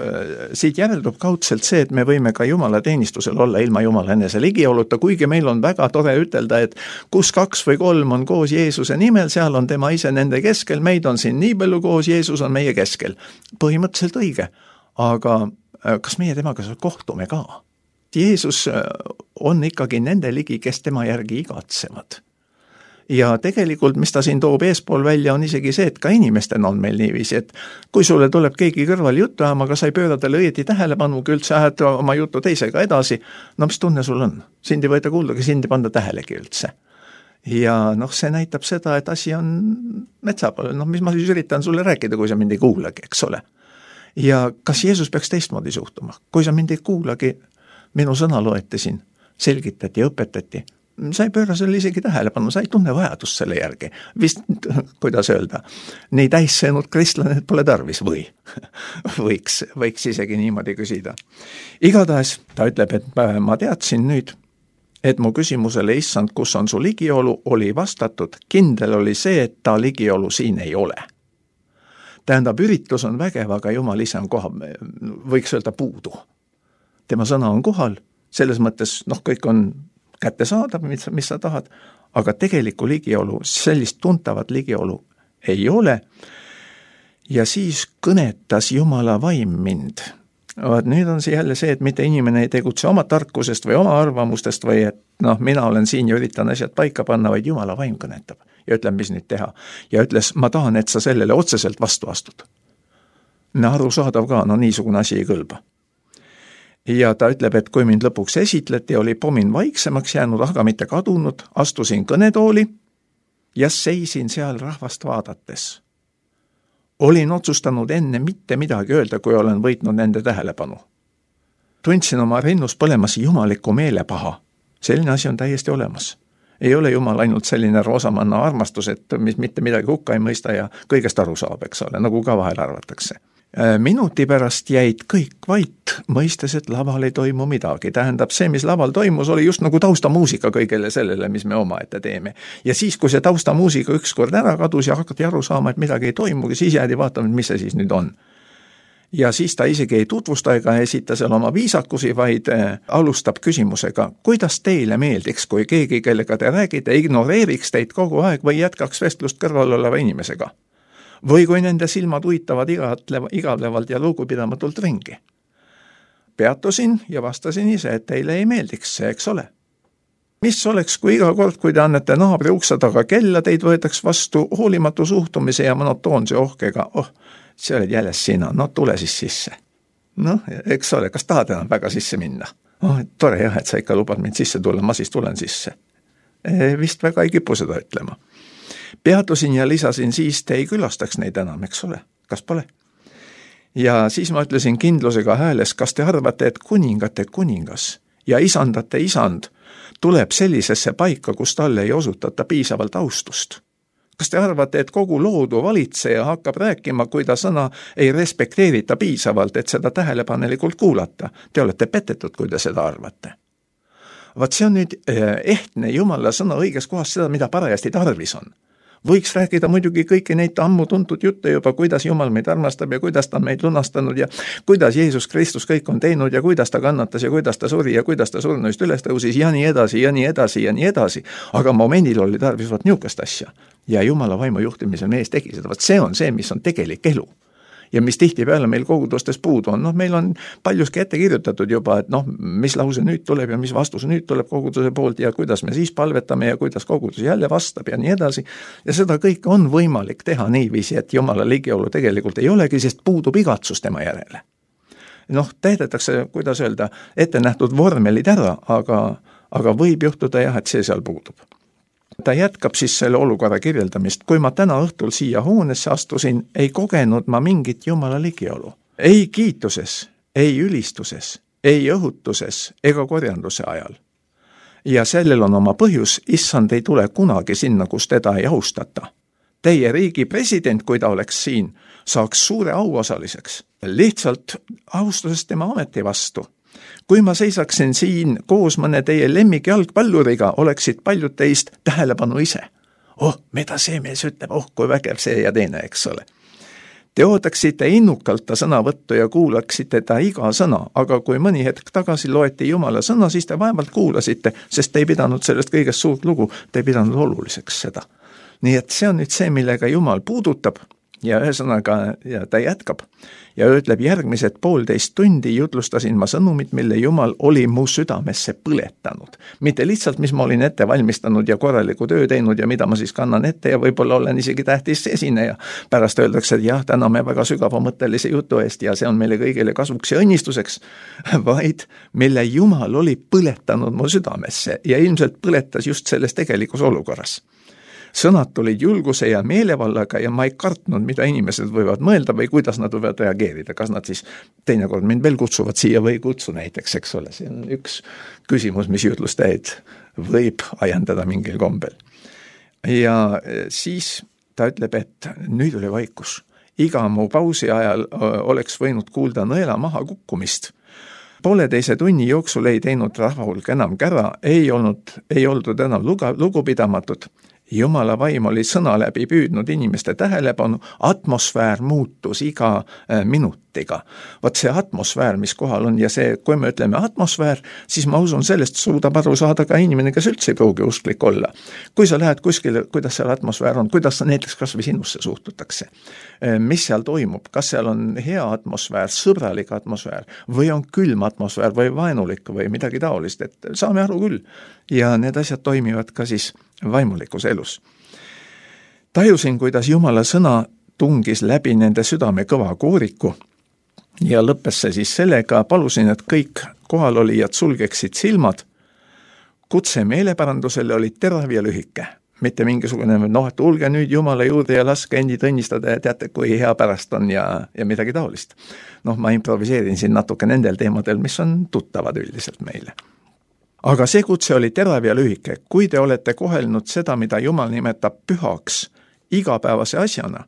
siit järeldub kaudselt see, et me võime ka Jumala teenistusel olla ilma Jumala enese ligioluta, kuigi meil on väga tore ütelda, et kus 2 või 3 on koos Jeesuse nimel, seal on tema ise nende keskel, meid on siin nii palju koos, Jeesus on meie keskel. Põhimõtteliselt õige, aga kas meie temaga kohtume ka? Jeesus on ikkagi nende ligi, kes tema järgi igatsevad. Ja tegelikult, mis ta siin toob eespool välja, on isegi see, et ka inimestena on meil niiviisi, et kui sulle tuleb keegi kõrval juttu ajama, aga sa ei pööra talle õieti tähelepanuga, üldse ajad oma jutu teisega edasi, mis tunne sul on? Sind ei võeta kuulda, sind ei panda tähelegi üldse. Ja see näitab seda, et asi on metsa poole, mis ma siis üritan sulle rääkida, kui sa mind ei kuulagi, eks ole. Ja kas Jeesus peaks teistmoodi suhtuma? Kui sa mind ei kuulagi, minu sõna loeti siin, selgitati, õpetati, sa ei pööra selle isegi tähelepanu, sa ei tunne vajadust selle järgi. Vist, kuidas öelda, nii täissõnud kristlane pole tarvis või võiks isegi niimoodi küsida. Igatahes ta ütleb, et ma teadsin nüüd, et mu küsimusele, issand, kus on su ligiolu, oli vastatud, kindel oli see, et ta ligiolu siin ei ole. Tähendab, üritus on vägev, aga Jumal ise on koha, võiks öelda puudu. Tema sõna on kohal, selles mõttes, kõik on kättesaadav, mis sa tahad, aga tegelikku ligiolu, sellist tuntavat ligiolu ei ole. Ja siis kõnetas Jumala vaim mind. Nüüd on see jälle see, et mitte inimene ei tegutse oma tarkusest või oma arvamustest või et mina olen siin ja üritan asjad paika panna, vaid Jumala vaim kõnetab ja ütleb, mis nüüd teha. Ja ütles, ma tahan, et sa sellele otseselt vastu astud. Arusaadav ka, niisugune asi ei kõlba. Ja ta ütleb, et kui mind lõpuks esitleti, oli pomin vaiksemaks jäänud, aga mitte kadunud, astusin kõnetooli ja seisin seal rahvast vaadates. Olin otsustanud enne mitte midagi öelda, kui olen võitnud nende tähelepanu. Tundsin oma rinnus põlemas jumaliku meelepaha. Selline asi on täiesti olemas. Ei ole Jumal ainult selline roosamanna armastus, et mitte midagi hukka ei mõista ja kõigest aru saab, eks ole, nagu ka vahel arvatakse. Minuti pärast jäid kõik vait, mõistes, et laval ei toimu midagi. Tähendab, see, mis laval toimus, oli just nagu taustamuusika kõigele sellele, mis me omaette teeme. Ja siis, kui see taustamuusika ükskord ära kadus ja hakati aru saama, et midagi ei toimugi, siis jäädi vaatama, mis see siis nüüd on. Ja siis ta isegi ei tutvusta ega esita seal oma viisakusi, vaid alustab küsimusega, kuidas teile meeldiks, kui keegi, kellega te räägite, ignoreeriks teid kogu aeg või jätkaks vestlust kõrval oleva inimesega. Või kui nende silmad uitavad igavlevalt ja lugupidamatult ringi. Peatusin ja vastasin ise, et teile ei meeldiks see, eks ole. Mis oleks, kui iga kord, kui te annete naabri ukse taga kella, teid võetaks vastu hoolimatu suhtumise ja monotoonse ohkega, see oled jälle sina, tule siis sisse. Eks ole, kas tahad enam väga sisse minna? Tore jah, et sa ikka lubad mind sisse tulla, ma siis tulen sisse. Vist väga ei kipu seda ütlema. Peatusin ja lisasin, siis te ei külastaks neid enam, eks ole, kas pole? Ja siis ma ütlesin kindlusega hääles, kas te arvate, et kuningate kuningas ja isandate isand tuleb sellisesse paika, kus talle ei osutata piisavalt austust? Kas te arvate, et kogu loodu valitseja hakkab rääkima, kui ta sõna ei respekteerita piisavalt, et seda tähelepanelikult kuulata? Te olete petetud, kui te seda arvate. Vaat see on nüüd ehtne Jumala sõna õiges kohas seda, mida parajasti tarvis on. Võiks rääkida muidugi kõiki neid ammu tuntud jutte juba, kuidas Jumal meid armastab ja kuidas ta on meid lunastanud ja kuidas Jeesus Kristus kõik on teinud ja kuidas ta kannatas ja kuidas ta suri ja kuidas ta surnuist üles tõusis ja nii edasi ja nii edasi ja nii edasi. Aga momendil oli tarvis niisugust asja ja Jumala vaimu juhtimisel mees tegi seda. Vaat see on see, mis on tegelik elu. Ja mis tihtipeale meil kogudustes puudu on. Meil on paljuski ette kirjutatud juba, et mis lause nüüd tuleb ja mis vastus nüüd tuleb koguduse poolt ja kuidas me siis palvetame ja kuidas kogudus jälle vastab ja nii edasi. Ja seda kõike on võimalik teha niiviisi, et Jumala ligiolu tegelikult ei olegi, sest puudub igatsus tema järele. Täidetakse, kuidas öelda, ette nähtud vormelid ära, aga võib juhtuda jah, et see seal puudub. Ta jätkab siis selle olukorra kirjeldamist. Kui ma täna õhtul siia hoonesse astusin, ei kogenud ma mingit Jumala ligiolu. Ei kiituses, ei ülistuses, ei õhutuses ega korjanduse ajal. Ja sellel on oma põhjus, issand ei tule kunagi sinna, kus teda ei austata. Teie riigi president, kui ta oleks siin, saaks suure auosaliseks. Lihtsalt austusest tema ameti vastu. Kui ma seisaksin siin koos mõne teie lemmik jalgpalluriga, oleksid paljud teist tähelepanu ise. Mida see mees ütleb, kui vägev see ja teine, eks ole. Te ootaksite innukalt ta sõnavõttu ja kuulaksite ta iga sõna, aga kui mõni hetk tagasi loeti Jumala sõna, siis te vaevalt kuulasite, sest te ei pidanud sellest kõigest suurt lugu, te ei pidanud oluliseks seda. Nii et see on nüüd see, millega Jumal puudutab ja ühesõnaga ja ta jätkab. Ja ütleb, järgmised 1,5 tundi jutlustasin ma sõnumit, mille Jumal oli mu südamesse põletanud. Mitte lihtsalt, mis ma olin ette valmistanud ja korraliku töö teinud ja mida ma siis kannan ette ja võib-olla olen isegi tähtis esineja. Pärast öeldakse, et jah, täname väga sügavamõttelise jutu eest ja see on meile kõigile kasvuks ja õnnistuseks, vaid mille Jumal oli põletanud mu südamesse ja ilmselt põletas just selles tegelikus olukorras. Sõnad tulid julguse ja meelevallaga ja ma ei kartnud, mida inimesed võivad mõelda või kuidas nad võivad reageerida. Kas nad siis teinekord mind veel kutsuvad siia või kutsu näiteks, eks ole. See on üks küsimus, mis jutlustajaid võib ajendada mingil kombel. Ja siis ta ütleb, et nüüd oli vaikus. Iga mu pausi ajal oleks võinud kuulda nõela maha kukkumist. Pooleteise tunni jooksul ei teinud rahvahulk enam kära, ei oldud enam lugupidamatud. Jumala vaim oli sõna läbi püüdnud inimeste tähelepanu, atmosfäär muutus iga minutiga. Vot see atmosfäär, mis kohal on ja see, kui me ütleme atmosfäär, siis ma usun, sellest suudab aru saada ka inimene, kes üldse ei pruugi usklik olla. Kui sa lähed kuskile, kuidas seal atmosfäär on, kuidas näiteks kas või sinusse suhtutakse, mis seal toimub, kas seal on hea atmosfäär, sõbralik atmosfäär või on külm atmosfäär või vaenulik või midagi taolist, et saame aru küll. Ja need asjad toimivad ka siis vaimulikus elus. Tajusin, kuidas Jumala sõna tungis läbi nende südame kõva kooriku ja lõppes see siis sellega, palusin, et kõik kohalolijad sulgeksid silmad. Kutse meeleparandusele oli terav ja lühike. Mitte mingisugune, et tulge nüüd Jumala juurde ja laske endid õnnistada ja teate, kui hea pärast on ja midagi taolist. Ma improviseerin siin natuke nendel teemadel, mis on tuttavad üldiselt meile. Aga see kutse oli terav ja lühike. Kui te olete kohelnud seda, mida Jumal nimetab pühaks igapäevase asjana,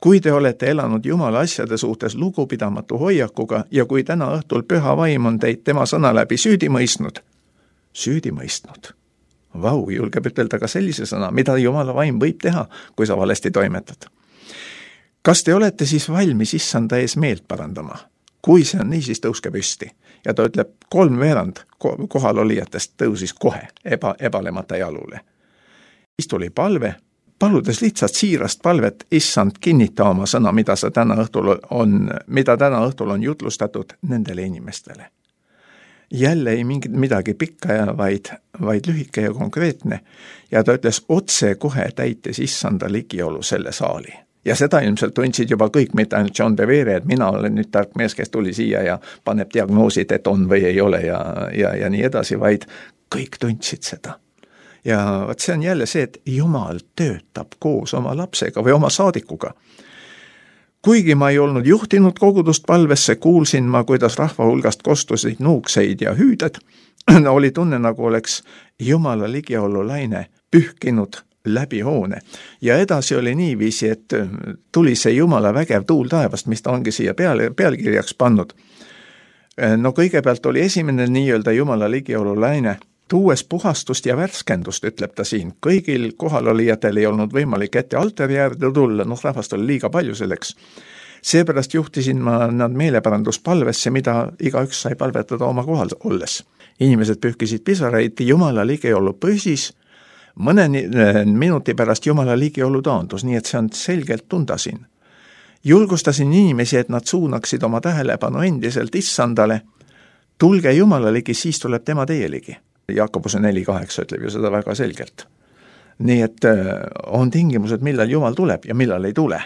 kui te olete elanud Jumala asjade suhtes lugupidamatu hoiakuga ja kui täna õhtul püha vaim on teid tema sõna läbi süüdi mõistnud, Vau, julgeb ütelda ka sellise sõna, mida Jumala vaim võib teha, kui sa valesti toimetad. Kas te olete siis valmis issanda ees meelt parandama? Kui see on nii, siis tõuske püsti. Ja ta ütleb, 3/4 kohalolijatest tõusis kohe ebalemata jalule. Siis tuli palve, paludes lihtsalt siirast palvet, issand, kinnita oma sõna, mida täna õhtul on jutlustatud nendele inimestele. Jälle ei midagi pikka ja vaid lühike ja konkreetne. Ja ta ütles, otse kohe täites issanda ligiolu selle saali. Ja seda ilmselt tundsid juba kõik, mitte ainult John Bevere, et mina olen nüüd tark mees, kes tuli siia ja paneb diagnoosid, et on või ei ole ja nii edasi, vaid kõik tundsid seda. Ja see on jälle see, et Jumal töötab koos oma lapsega või oma saadikuga. Kuigi ma ei olnud juhtinud kogudust palvesse, kuulsin ma, kuidas rahva hulgast kostusid nuukseid ja hüüded. Oli tunne, nagu oleks Jumala ligiolu laine pühkinud läbi hoone. Ja edasi oli niiviisi, et tuli see Jumala vägev tuul taevast, mis ta ongi siia pealkirjaks pannud. Kõigepealt oli esimene nii-öelda Jumala ligiolu laine, tuues puhastust ja värskendust, ütleb ta siin. Kõigil kohalolijatel ei olnud võimalik ette altari äärde tulla, rahvast oli liiga palju selleks. Seepärast juhtisin ma nad meeleparanduspalvesse, mida igaüks sai palvetada oma kohal olles. Inimesed pühkisid pisaraid, Jumala ligiolu püsis, mõne minuti pärast Jumala ligiolu taandus, nii et see on selgelt tunda siin. Julgustasin inimesi, et nad suunaksid oma tähelepanu endiselt issandale. Tulge Jumala ligi, siis tuleb tema teie ligi. Jakobuse 4:8 ütleb ju seda väga selgelt. Nii et on tingimused, millal Jumal tuleb ja millal ei tule.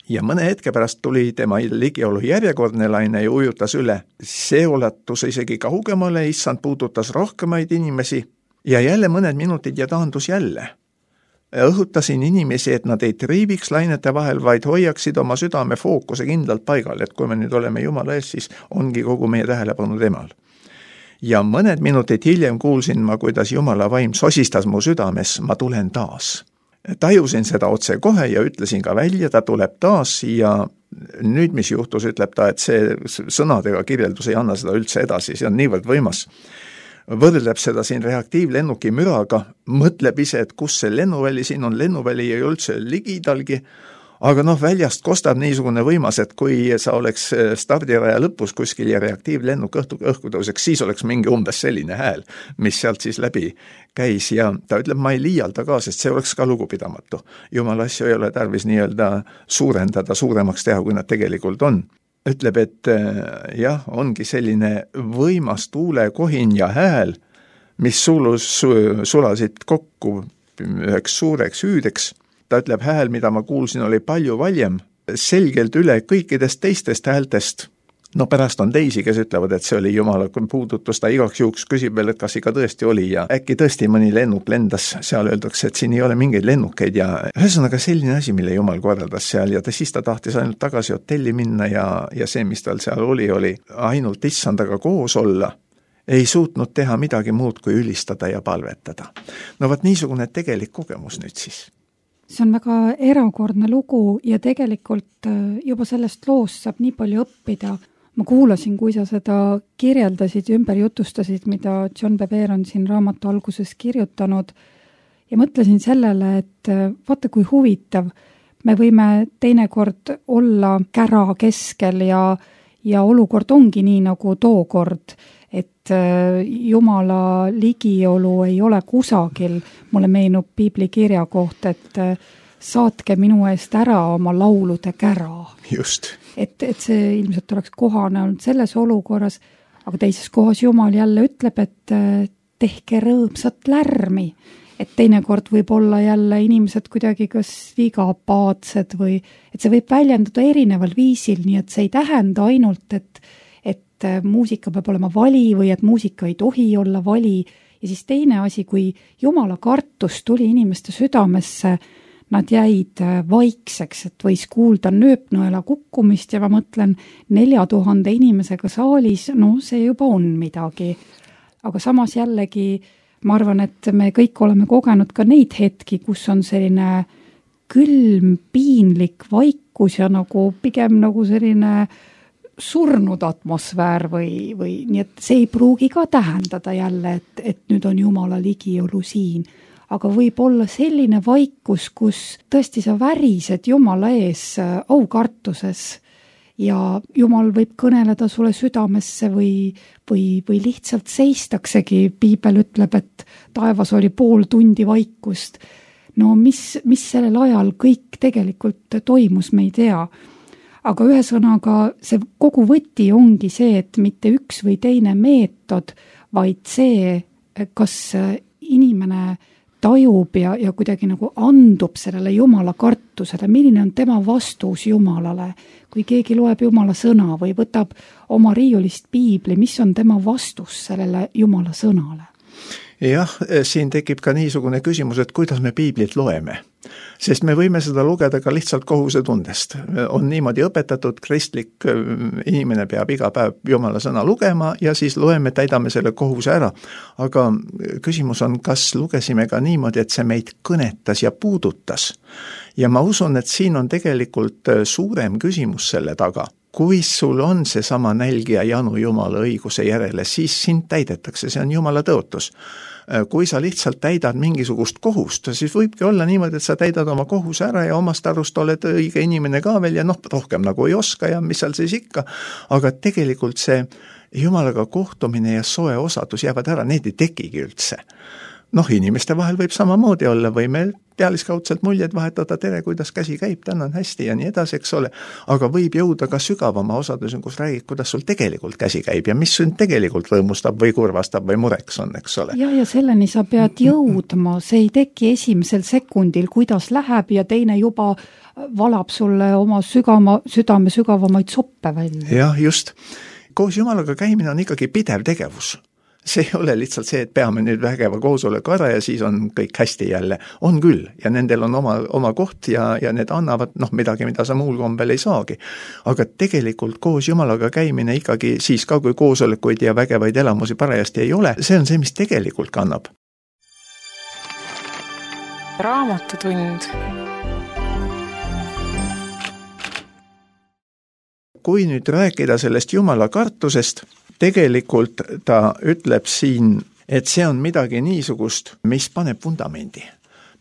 Ja mõne hetke pärast tuli tema ligiolu järjekordne laine ja ujutas üle. See ulatus isegi kaugemale, issand puudutas rohkemaid inimesi ja jälle mõned minutid ja taandus jälle. Õhutasin inimesi, et nad ei triibiks lainete vahel, vaid hoiaksid oma südame fookuse kindlalt paigal, et kui me nüüd oleme Jumala ees, siis ongi kogu meie tähelepanu temal. Ja mõned minutid hiljem kuulsin ma, kuidas Jumala vaim sosistas mu südames, ma tulen taas. Tajusin seda otse kohe ja ütlesin ka välja, ta tuleb taas ja nüüd, mis juhtus, ütleb ta, et see sõnadega kirjeldus ei anna seda üldse edasi, see on niivõrd võimas. Võrdleb seda siin reaktiivlennuki müraga, mõtleb ise, et kus see lennuväli siin on, lennuväli ei üldse ligidalgi, aga väljast kostab niisugune võimas, et kui sa oleks stardiraja lõpus kuskil ja reaktiivlennuk õhku tõuseks, siis oleks mingi umbes selline hääl, mis sealt siis läbi käis ja ta ütleb, ma ei liialda ka, sest see oleks ka lugupidamatu. Jumala asju ei ole tarvis nii-öelda suurendada, suuremaks teha, kui nad tegelikult on. Ütleb, et jah, ongi selline võimas tuulekohin ja hääl, mis sulasid kokku üheks suureks hüüdeks. Ta ütleb, hääl, mida ma kuulsin, oli palju valjem, selgelt üle kõikidest teistest häältest. Pärast on teisi, kes ütlevad, et see oli Jumala puudutus, ta igaks juhuks küsib veel, et kas ikka tõesti oli ja äkki tõesti mõni lennuk lendas, seal öeldakse, et siin ei ole mingeid lennukeid ja ühesõnaga selline asi, mille Jumal korraldas seal ja siis ta tahtis ainult tagasi hotelli minna ja see, mis tal seal oli ainult issandaga koos olla, ei suutnud teha midagi muud kui ülistada ja palvetada. Vaat niisugune tegelik kogemus nüüd siis. See on väga erakordne lugu ja tegelikult juba sellest loost saab nii palju õppida. ma kuulasin, kui sa seda kirjeldasid ja ümber jutustasid, mida John Bevere on siin raamatu alguses kirjutanud ja mõtlesin sellele, et vaata kui huvitav, me võime teinekord olla kära keskel ja olukord ongi nii nagu tookord, et Jumala ligiolu ei ole kusagil. Mulle meenub piibli kirja koht, et saatke minu eest ära oma laulude kära. Just. Et see ilmselt oleks kohane olnud selles olukorras, aga teises kohas Jumal jälle ütleb, et tehke rõõmsat lärmi. Et teinekord võib olla jälle inimesed kuidagi kas liiga apaatsed või et see võib väljenduda erineval viisil, nii et see ei tähenda ainult, et muusika peab olema vali või et muusika ei tohi olla vali. Ja siis teine asi, kui Jumala kartus tuli inimeste südamesse, nad jäid vaikseks, et võis kuulda nööpnõela kukkumist ja ma mõtlen 4000 inimesega saalis, no see juba on midagi. Aga samas jällegi ma arvan, et me kõik oleme kogenud ka neid hetki, kus on selline külm, piinlik vaikus ja nagu pigem nagu selline surnud atmosfäär või nii, et see ei pruugi ka tähendada jälle, et nüüd on Jumala ligiolu siin. Aga võib olla selline vaikus, kus tõesti sa värised Jumala ees aukartuses ja Jumal võib kõneleda sulle südamesse või lihtsalt seistaksegi. Piibel ütleb, et taevas oli pool tundi vaikust. No mis sellel ajal kõik tegelikult toimus, me ei tea. Aga ühesõnaga see kogu võti ongi see, et mitte üks või teine meetod, vaid see, kas inimene tajub ja kuidagi nagu andub sellele Jumala kartusele, milline on tema vastus Jumalale. Kui keegi loeb Jumala sõna või võtab oma riiulist piibli, mis on tema vastus sellele Jumala sõnale? Jah, siin tekib ka niisugune küsimus, et kuidas me piiblit loeme. Sest me võime seda lugeda ka lihtsalt kohusetundest. On niimoodi õpetatud, kristlik inimene peab iga päev Jumala sõna lugema ja siis loeme, täidame selle kohuse ära. Aga küsimus on, kas lugesime ka niimoodi, et see meid kõnetas ja puudutas. Ja ma usun, et siin on tegelikult suurem küsimus selle taga. Kui sul on see sama nälg ja janu Jumala õiguse järele, siis sind täidetakse, see on Jumala tõotus. Kui sa lihtsalt täidad mingisugust kohust, siis võibki olla niimoodi, et sa täidad oma kohuse ära ja omast arust oled õige inimene ka veel ja rohkem nagu ei oska ja mis seal siis ikka. Aga tegelikult see Jumalaga kohtumine ja soe osadus jäävad ära, need ei tekigi üldse. Inimeste vahel võib samamoodi olla, või meil pealiskaudselt muljed vahetada, tere, kuidas käsi käib, tänan hästi ja nii edasi, eks ole. Aga võib jõuda ka sügavama osadus, kus räägid, kuidas sul tegelikult käsi käib ja mis sind tegelikult rõõmustab või kurvastab või mureks on, eks ole. Ja selleni sa pead jõudma, see ei teki esimesel sekundil, kuidas läheb ja teine juba valab sulle oma südame sügavamaid soppe välja. Jah, just. Koos Jumalaga käimine on ikkagi pidev tegevus. See ei ole lihtsalt see, et peame nüüd vägeva koosoleku ära ja siis on kõik hästi jälle. On küll ja nendel on oma koht ja need annavad midagi, mida sa muul kombel ei saagi. Aga tegelikult koos Jumalaga käimine ikkagi siis ka, kui koosolekuid ja vägevaid elamusi parajasti ei ole, see on see, mis tegelikult kannab. Raamatutund. Kui nüüd rääkida sellest Jumala kartusest, tegelikult ta ütleb siin, et see on midagi niisugust, mis paneb vundamendi.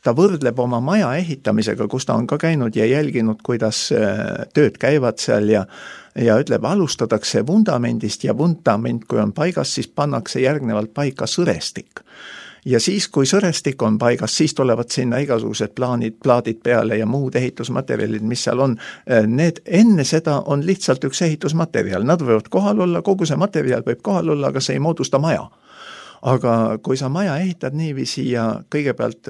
Ta võrdleb oma maja ehitamisega, kus ta on ka käinud ja jälginud, kuidas tööd käivad seal ja ütleb, alustadaksse vundamendist ja vundament, kui on paigas, siis pannakse järgnevalt paika sõrestik. Ja siis, kui sõrestik on paigas, siis tulevad sinna igasugused plaadid peale ja muud ehitusmaterjalid, mis seal on. Need enne seda on lihtsalt üks ehitusmaterjal. Nad võivad kohal olla, kogu see materjal võib kohal olla, aga see ei moodusta maja. Aga kui sa maja ehitad niiviisi ja kõigepealt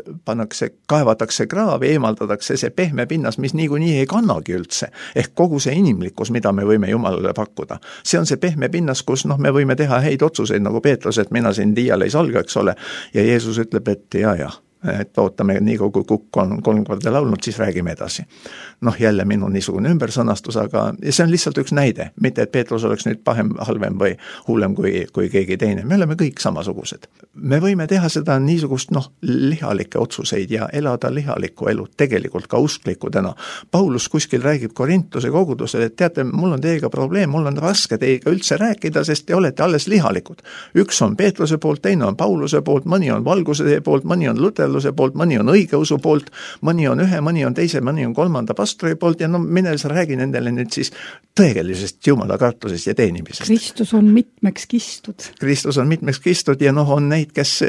kaevatakse kraavi, eemaldatakse see pehme pinnas, mis niikuinii ei kannagi üldse, ehk kogu see inimlikkus, mida me võime Jumalale pakkuda. See on see pehme pinnas, kus me võime teha häid otsuseid, nagu Peetrus, et mina siin diial ei salga, eks ole, ja Jeesus ütleb, et ja, et ootame nii kui kukk on 3 korda laulnud, siis räägime edasi. Noh, jälle minu niisugune ümbersõnastus, aga see on lihtsalt üks näide, mitte et Peetrus oleks nüüd pahem, halvem või hullem kui keegi teine, me oleme kõik samasugused. Me võime teha seda niisugust lihalikke otsuseid ja elada lihalikku elu, tegelikult ka usklikudena. Paulus kuskil räägib Korintuse kogudusele, et teate, mul on teiega probleem, mul on raske teiega üldse rääkida, sest te olete alles lihalikud. Üks on Peetruse poolt, teine on Pauluse poolt, mõni on valguse poolt, mõni on luterluse poolt, mõni on õigeusu poolt, mõni on ühe, mõni on teise, mõni on 3. pastori poolt ja mine sa räägi nendele nüüd siis tõelisest jumala kartusest ja teenimisest. Kristus on mitmeks kistud. Kristus on mitmeks kistud ja on neid, kes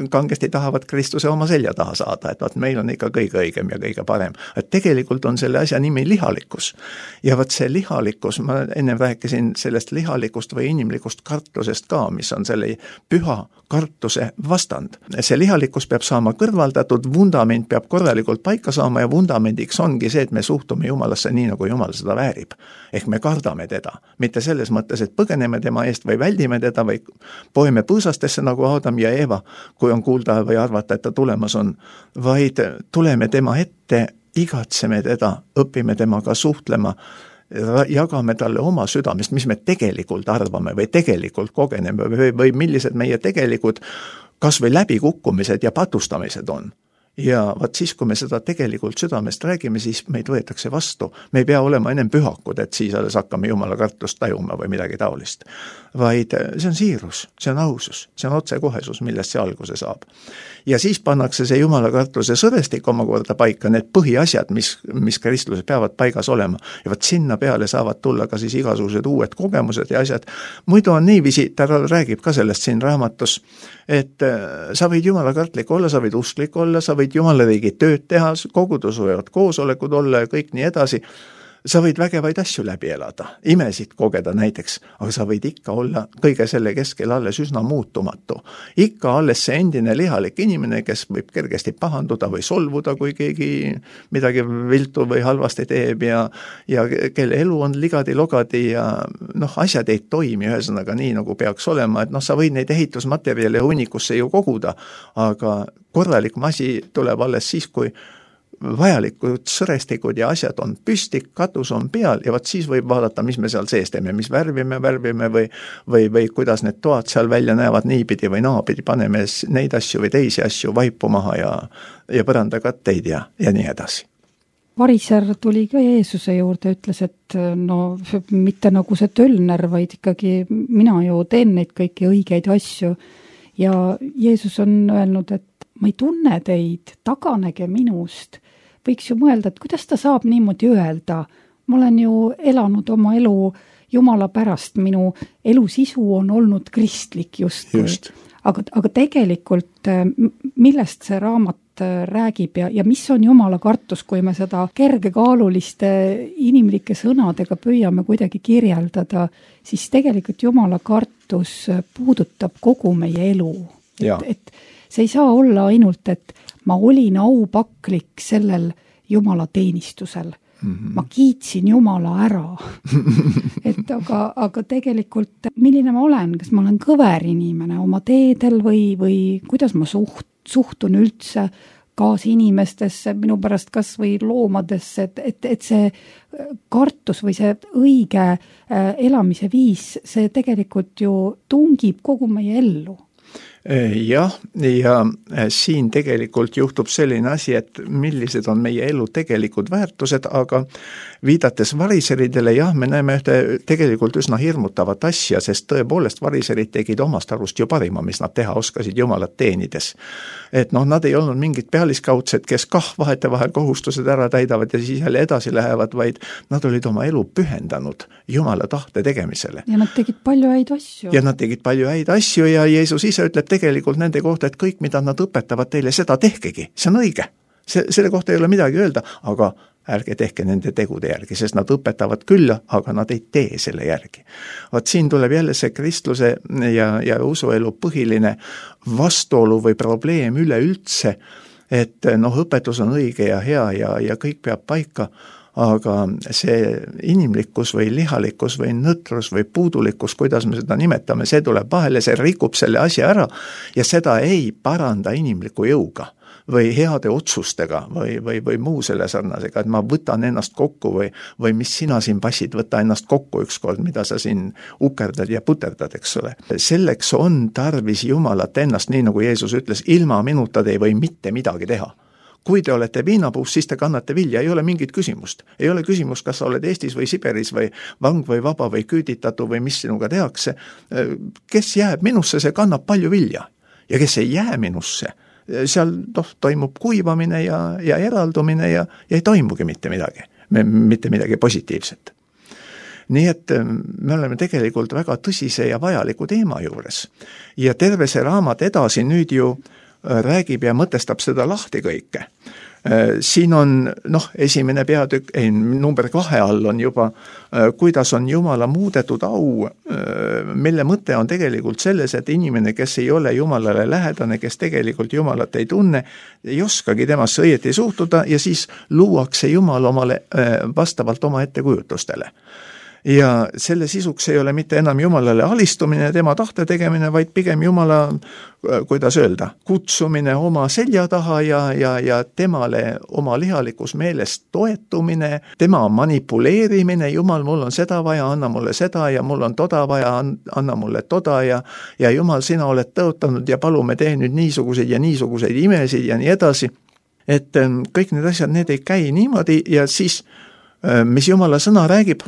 kangesti tahavad Kristuse oma selja taha saada, et meil on ikka kõige õigem ja kõige parem. Et tegelikult on selle asja nimi lihalikkus. Ja see lihalikkus, ma enne rääkisin sellest lihalikust või inimlikust kartusest ka, mis on selle püha kartuse vastand. See lihalikkus peab saama kõrvaldatud, vundament peab korralikult paika saama ja vundamendiks ongi see, et me suhtume Jumalasse nii, nagu Jumal seda väärib. Ehk me kardame teda. Mitte selles mõttes, et põgeneme tema eest või väldime teda või poeme põõsastesse nagu Adam ja Eva, kui on kuulda või arvata, et ta tulemas on, vaid tuleme tema ette, igatseme teda, õpime temaga suhtlema, jagame talle oma südamest, mis me tegelikult arvame või tegelikult kogeneme või millised meie tegelikud kas või läbikukkumised ja patustamised on. Ja vaat siis, kui me seda tegelikult südamest räägime, siis meid võetakse vastu. Me ei pea olema ennem pühakud, et siis alles hakkame Jumala kartust tajuma või midagi taolist. Vaid see on siirus, see on ausus, see on otsekohesus, millest see alguse saab. Ja siis pannakse see Jumala kartuse sõrestik omakorda paika, need põhiasjad, mis Kristluses peavad paigas olema. Ja vaat sinna peale saavad tulla ka siis igasugused uued kogemused ja asjad. Muidu on niiviisi, ta räägib ka sellest siin raamatus, et sa võid Jumala kartlik olla, sa võid usklik olla, sa võid Jumala riigi tööd teha, kogudus võivad koosolekud olla ja kõik nii edasi. Sa võid vägevaid asju läbi elada, imesid kogeda näiteks, aga sa võid ikka olla kõige selle keskel alles üsna muutumatu. Ikka alles see endine lihalik inimene, kes võib kergesti pahanduda või solvuda, kui keegi midagi viltu või halvasti teeb ja kelle elu on ligadi-logadi ja asjad ei toimi ühesõnaga nii, nagu peaks olema, et sa võid neid ehitusmaterjale hunnikusse ju koguda, aga korralik asi tuleb alles siis, kui vajalikud sõrestikud ja asjad on püsti, katus on peal ja siis võib vaadata, mis me seal sees teeme, mis värvime või kuidas need toad seal välja näevad niipidi või naapidi, paneme neid asju või teisi asju vaipu maha ja põrandakatteid ja nii edasi. Variser tuli ka Jeesuse juurde, ütles, et mitte nagu see tölner, vaid ikkagi mina ju teen neid kõiki õigeid asju ja Jeesus on öelnud, et ma ei tunne teid, taganege minust. Võiks ju mõelda, et kuidas ta saab niimoodi öelda. Ma olen ju elanud oma elu Jumala pärast, minu elu sisu on olnud kristlik just. Aga tegelikult millest see raamat räägib ja mis on Jumala kartus, kui me seda kergekaaluliste inimlike sõnadega püüame kuidagi kirjeldada, siis tegelikult Jumala kartus puudutab kogu meie elu. Et see ei saa olla ainult, et ma olin aupaklik sellel Jumala teenistusel. Ma kiitsin Jumala ära. aga tegelikult, milline ma olen? Kas ma olen kõver inimene oma teedel või kuidas ma suhtun üldse kaasinimestesse, minu pärast kas või loomadesse, et see kartus või see õige elamise viis, see tegelikult ju tungib kogu meie ellu. Jah, ja siin tegelikult juhtub selline asi, et millised on meie elu tegelikud väärtused, aga viidates variseridele, jah, me näeme ühte tegelikult üsna hirmutavat asja, sest tõepoolest variserid tegid omast arust ju parima, mis nad teha oskasid Jumalat teenides. Et nad ei olnud mingid pealiskaudsed, kes vahetevahel kohustused ära täidavad ja siis jälle edasi lähevad, vaid nad olid oma elu pühendanud Jumala tahte tegemisele. Ja nad tegid palju häid asju. Ja Jeesus ise ütleb tegelikult nende kohta, et kõik, mida nad õpetavad teile, seda tehkegi. See on õige. Selle kohta ei ole midagi öelda, aga ärge tehke nende tegude järgi, sest nad õpetavad küll, aga nad ei tee selle järgi. Vaat siin tuleb jälle see kristluse ja usuelu põhiline vastuolu või probleem üleüldse, et õpetus on õige ja hea ja kõik peab paika, aga see inimlikkus või lihalikkus või nõtrus või puudulikkus, kuidas me seda nimetame, see tuleb vahele, see rikub selle asja ära ja seda ei paranda inimliku jõuga, või heade otsustega või muu selle sarnasega, et ma võtan ennast kokku või mis sina siin passid, võta ennast kokku ükskord, mida sa siin ukerdad ja puterdad, eks ole. Selleks on tarvis Jumalat ennast, nii nagu Jeesus ütles, ilma minuta te ei või mitte midagi teha. Kui te olete viinapuus, siis te kannate vilja, ei ole mingit küsimust. Ei ole küsimust, kas sa oled Eestis või Siberis või vang või vaba või küüditatu või mis sinuga tehakse. Kes jääb minusse, see kannab palju vilja. Ja kes ei jää minusse, seal toimub kuivamine ja eraldumine ja ei toimugi mitte midagi positiivset. Nii et me oleme tegelikult väga tõsise ja vajaliku teema juures. Ja terve see raamat edasi nüüd ju räägib ja mõtestab seda lahti kõike. Siin on, esimene peatükk, number 2 all on juba, kuidas on Jumala muudetud au, mille mõte on tegelikult selles, et inimene, kes ei ole Jumalale lähedane, kes tegelikult Jumalat ei tunne, ei oskagi temasse õieti suhtuda ja siis luuakse Jumal omale vastavalt oma ettekujutustele. Ja selle sisuks ei ole mitte enam Jumalale alistumine, tema tahte tegemine, vaid pigem Jumala, kuidas öelda, kutsumine oma selja taha ja temale oma lihalikus meeles toetumine, tema manipuleerimine, Jumal, mul on seda vaja, anna mulle seda ja mul on toda vaja, anna mulle toda ja Jumal, sina oled tõotanud ja palume tee nüüd niisuguseid ja niisuguseid imesid ja nii edasi. Et kõik need asjad, need ei käi niimoodi ja siis, mis Jumala sõna räägib,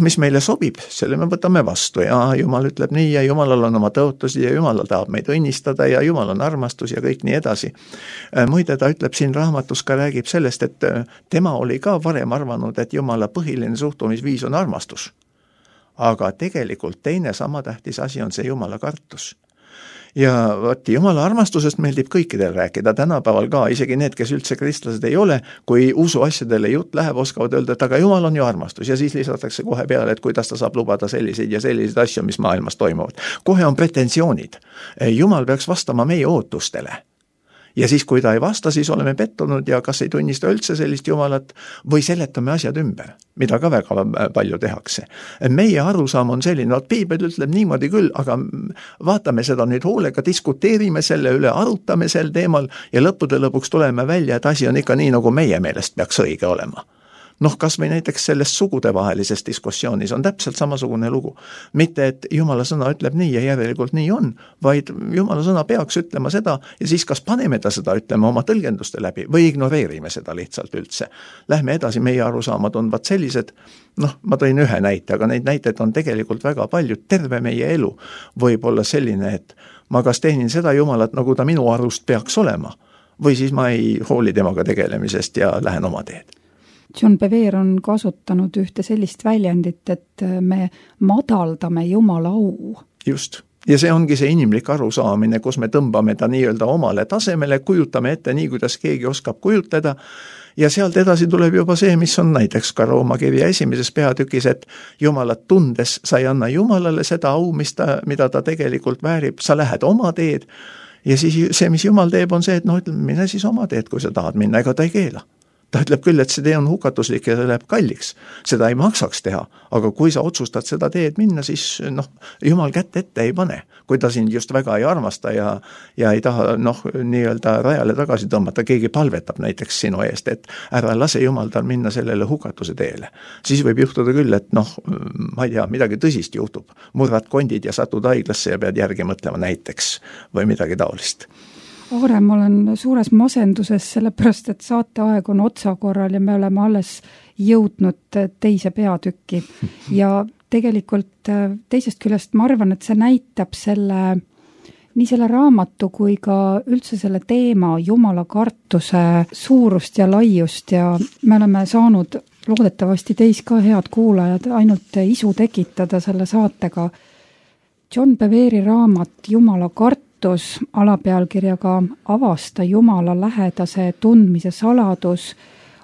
mis meile sobib, selle me võtame vastu ja Jumal ütleb nii ja Jumalal on oma tõotusi ja Jumal tahab meid õnnistada ja Jumal on armastus ja kõik nii edasi. Muide, ta ütleb siin raamatus ka räägib sellest, et tema oli ka varem arvanud, et Jumala põhiline suhtumisviis on armastus. Aga tegelikult teine sama tähtis asi on see Jumala kartus. Ja Jumala armastusest meeldib kõikidel rääkida, tänapäeval ka, isegi need, kes üldse kristlased ei ole, kui usu asjadele jutt läheb, oskavad öelda, et aga Jumal on ju armastus ja siis lisatakse kohe peale, et kuidas ta saab lubada selliseid ja selliseid asju, mis maailmas toimuvad. Kohe on pretensioonid. Jumal peaks vastama meie ootustele. Ja siis, kui ta ei vasta, siis oleme pettunud ja kas ei tunnista üldse sellist Jumalat või seletame asjad ümber, mida ka väga palju tehakse. Meie arusaam on selline, Piibel ütleb niimoodi küll, aga vaatame seda nüüd hoolega, diskuteerime selle üle, arutame sel teemal ja lõppude lõpuks tuleme välja, et asi on ikka nii, nagu meie meelest peaks õige olema. Kas või näiteks selles sugudevahelises diskussioonis on täpselt samasugune lugu. Mitte, et Jumala sõna ütleb nii ja järelikult nii on, vaid Jumala sõna peaks ütlema seda ja siis kas paneme ta seda ütlema oma tõlgenduste läbi või ignoreerime seda lihtsalt üldse. Lähme edasi, meie arusaamad on sellised, ma tõin ühe näite, aga neid näiteid on tegelikult väga palju, terve meie elu võib olla selline, et ma kas teenin seda Jumalat, nagu ta minu arust peaks olema või siis ma ei hooli temaga tegelemisest ja lähen oma teed. John Bevere on kasutanud ühte sellist väljendit, et me madaldame Jumala au. Just. Ja see ongi see inimlik arusaamine, kus me tõmbame ta nii-öelda omale tasemele, kujutame ette nii, kuidas keegi oskab kujutleda ja sealt edasi tuleb juba see, mis on näiteks ka Rooma kirja 1. peatükis, et Jumalat tundes sa ei anna Jumalale seda au, mida ta tegelikult väärib, sa lähed oma teed ja siis see, mis Jumal teeb, on see, et ütleme, mine siis oma teed, kui sa tahad minna, ega ta ei keela. Ta ütleb küll, et see tee on hukatuslik ja see läheb kalliks. Seda ei maksaks teha, aga kui sa otsustad seda teed minna, siis Jumal kätt ette ei pane. Kui ta sind just väga ei armasta ja ei taha nii-öelda rajale tagasi tõmmata, keegi palvetab näiteks sinu eest, et ära lase Jumal tal minna sellele hukatuse teele. Siis võib juhtuda küll, et ma ei tea, midagi tõsist juhtub. Murrad kondid ja satud haiglasse ja pead järgi mõtlema näiteks või midagi taolist. Aare, ma olen suures masenduses, sellepärast, et saateaeg on otsakorral ja me oleme alles jõudnud teise peatükki. Ja tegelikult teisest küljest ma arvan, et see näitab nii selle raamatu kui ka üldse selle teema Jumala kartuse suurust ja laiust ja me oleme saanud loodetavasti teis ka head kuulajad ainult isu tekitada selle saatega. John Bevere'i raamat Jumala kartus alapealkirjaga Avasta Jumala lähedase tundmise saladus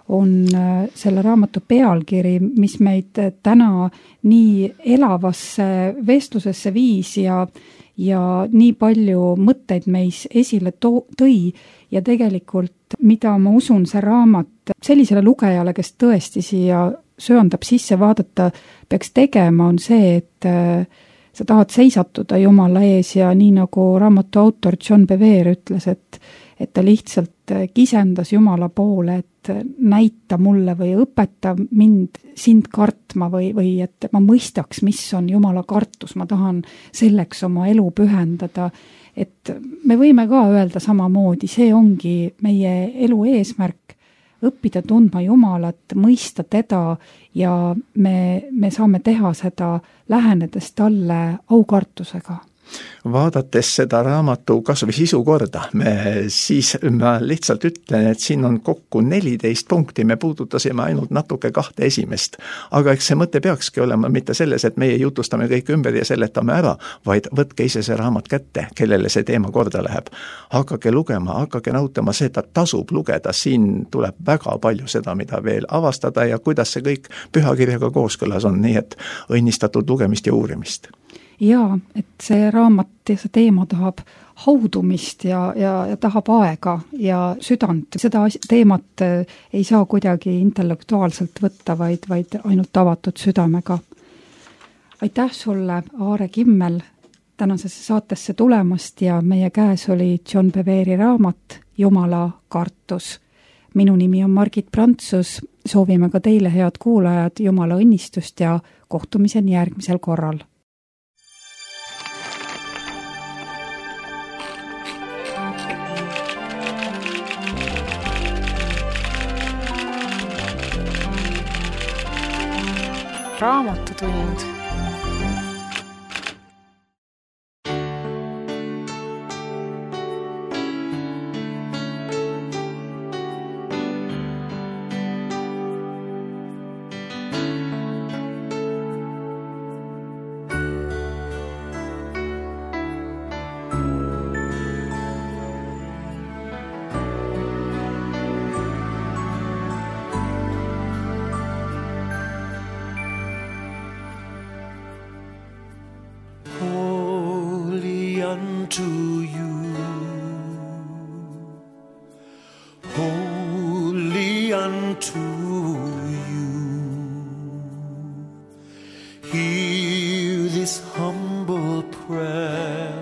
on selle raamatu pealkiri, mis meid täna nii elavasse vestlusesse viis ja nii palju mõtteid meis esile tõi ja tegelikult, mida ma usun, see raamat sellisele lugejale, kes tõesti siia söandab sisse vaadata, peaks tegema, on see, et sa tahad seisatuda Jumala ees ja nii nagu raamatu autor John Bevere ütles, et et ta lihtsalt kisendas Jumala poole, et näita mulle või õpeta mind sind kartma või et ma mõistaks, mis on Jumala kartus, ma tahan selleks oma elu pühendada. Et me võime ka öelda samamoodi, see ongi meie elu eesmärk, õppida tundma Jumalat, mõista teda ja me saame teha seda lähenedes talle aukartusega. Vaadates seda raamatu kas või sisu korda, siis ma lihtsalt ütlen, et siin on kokku 14 punkti, me puudutasime ainult natuke 2 esimest. Aga eks see mõte peakski olema mitte selles, et meie jutustame kõik ümber ja seletame ära, vaid võtke ise see raamat kätte, kellele see teema korda läheb. Hakake lugema, hakake nautama seda, tasub lugeda, siin tuleb väga palju seda, mida veel avastada ja kuidas see kõik pühakirjaga kooskõlas on, nii et õnnistatud lugemist ja uurimist. Jaa, et see raamat ja see teema tahab haudumist ja tahab aega ja südant. Seda teemat ei saa kuidagi intellektuaalselt võtta, vaid ainult avatud südamega. Aitäh sulle, Aare Kimmel, tänasesse saatesse tulemast ja meie käes oli John Beveri raamat Jumala kartus. Minu nimi on Margit Prantsus, soovime ka teile, head kuulajad, Jumala õnnistust ja kohtumiseni järgmisel korral. Raamatutund. Unto you, holy unto you, hear this humble prayer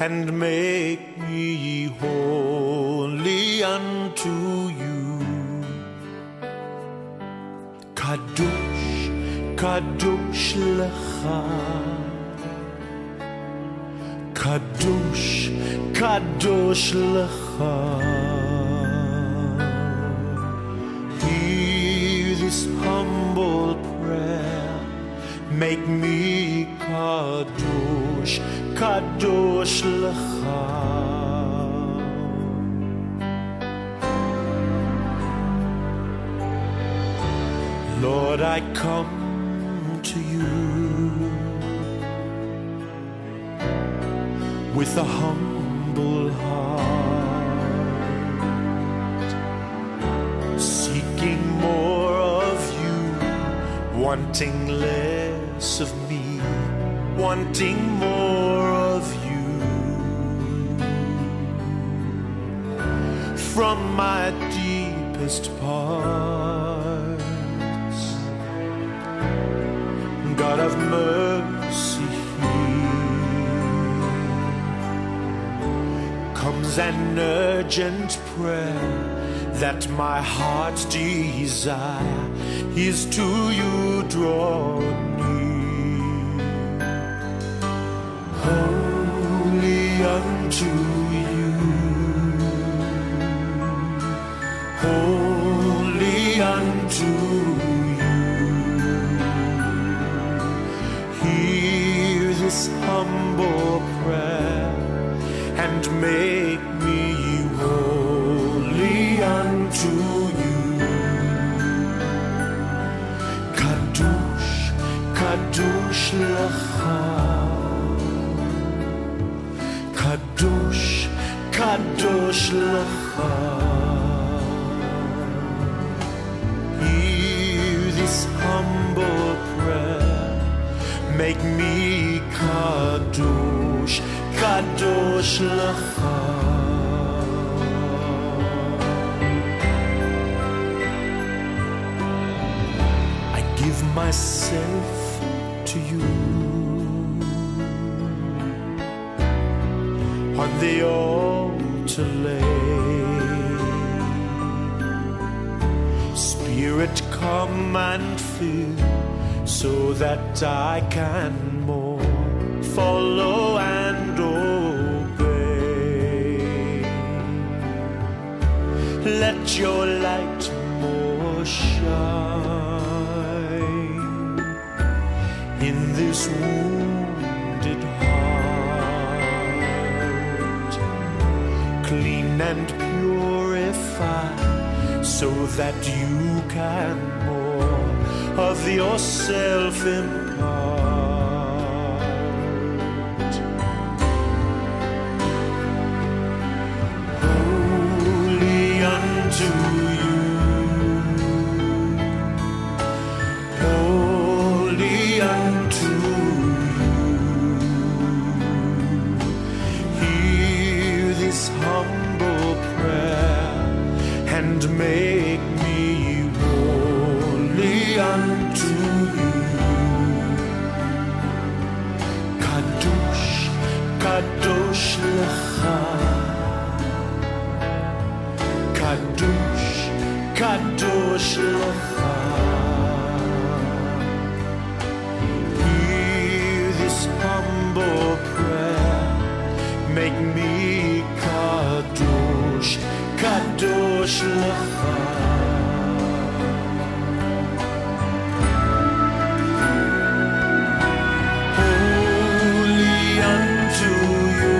and make me holy unto you. Kadosh, kadosh lecha, Kadosh, Kadosh lecha. Hear this humble prayer, make me Kadosh, Kadosh lecha. Lord, I come to you with a humble heart, seeking more of you, wanting less of me, wanting more of you. From my deepest parts, God of mercy, comes an urgent prayer that my heart's desire is to you draw near. Holy unto you, holy unto you, hear this humble prayer and make me holy unto you. Kadosh, Kadosh lecha, Kadosh, Kadosh lecha. Hear this humble prayer, make me Kadosh, Kadosh lecha. I give myself to you on the altar to lay. Spirit, come and fill, so that I can more follow and obey. Let your light more shine in this wounded heart, clean and purify, so that you can more of yourself impart. Holy unto you, holy unto you. Hear this humble prayer and make me holy unto you. Kadosh, kadosh lecha, kadosh, kadosh lecha. Hear this humble prayer, make me kadosh, kadosh lecha. Holy unto you,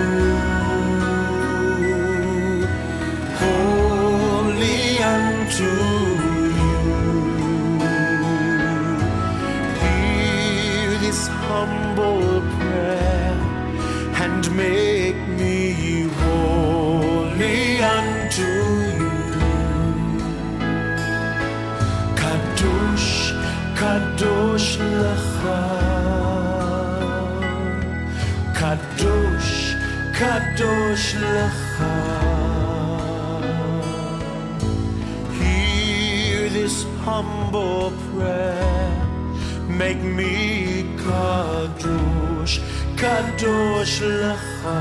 holy unto you. Hear this humble prayer and make me holy unto you. Kadosh, kadosh lecha, kadosh, kadosh lecha. Hear this humble prayer, make me kadosh, kadosh lecha.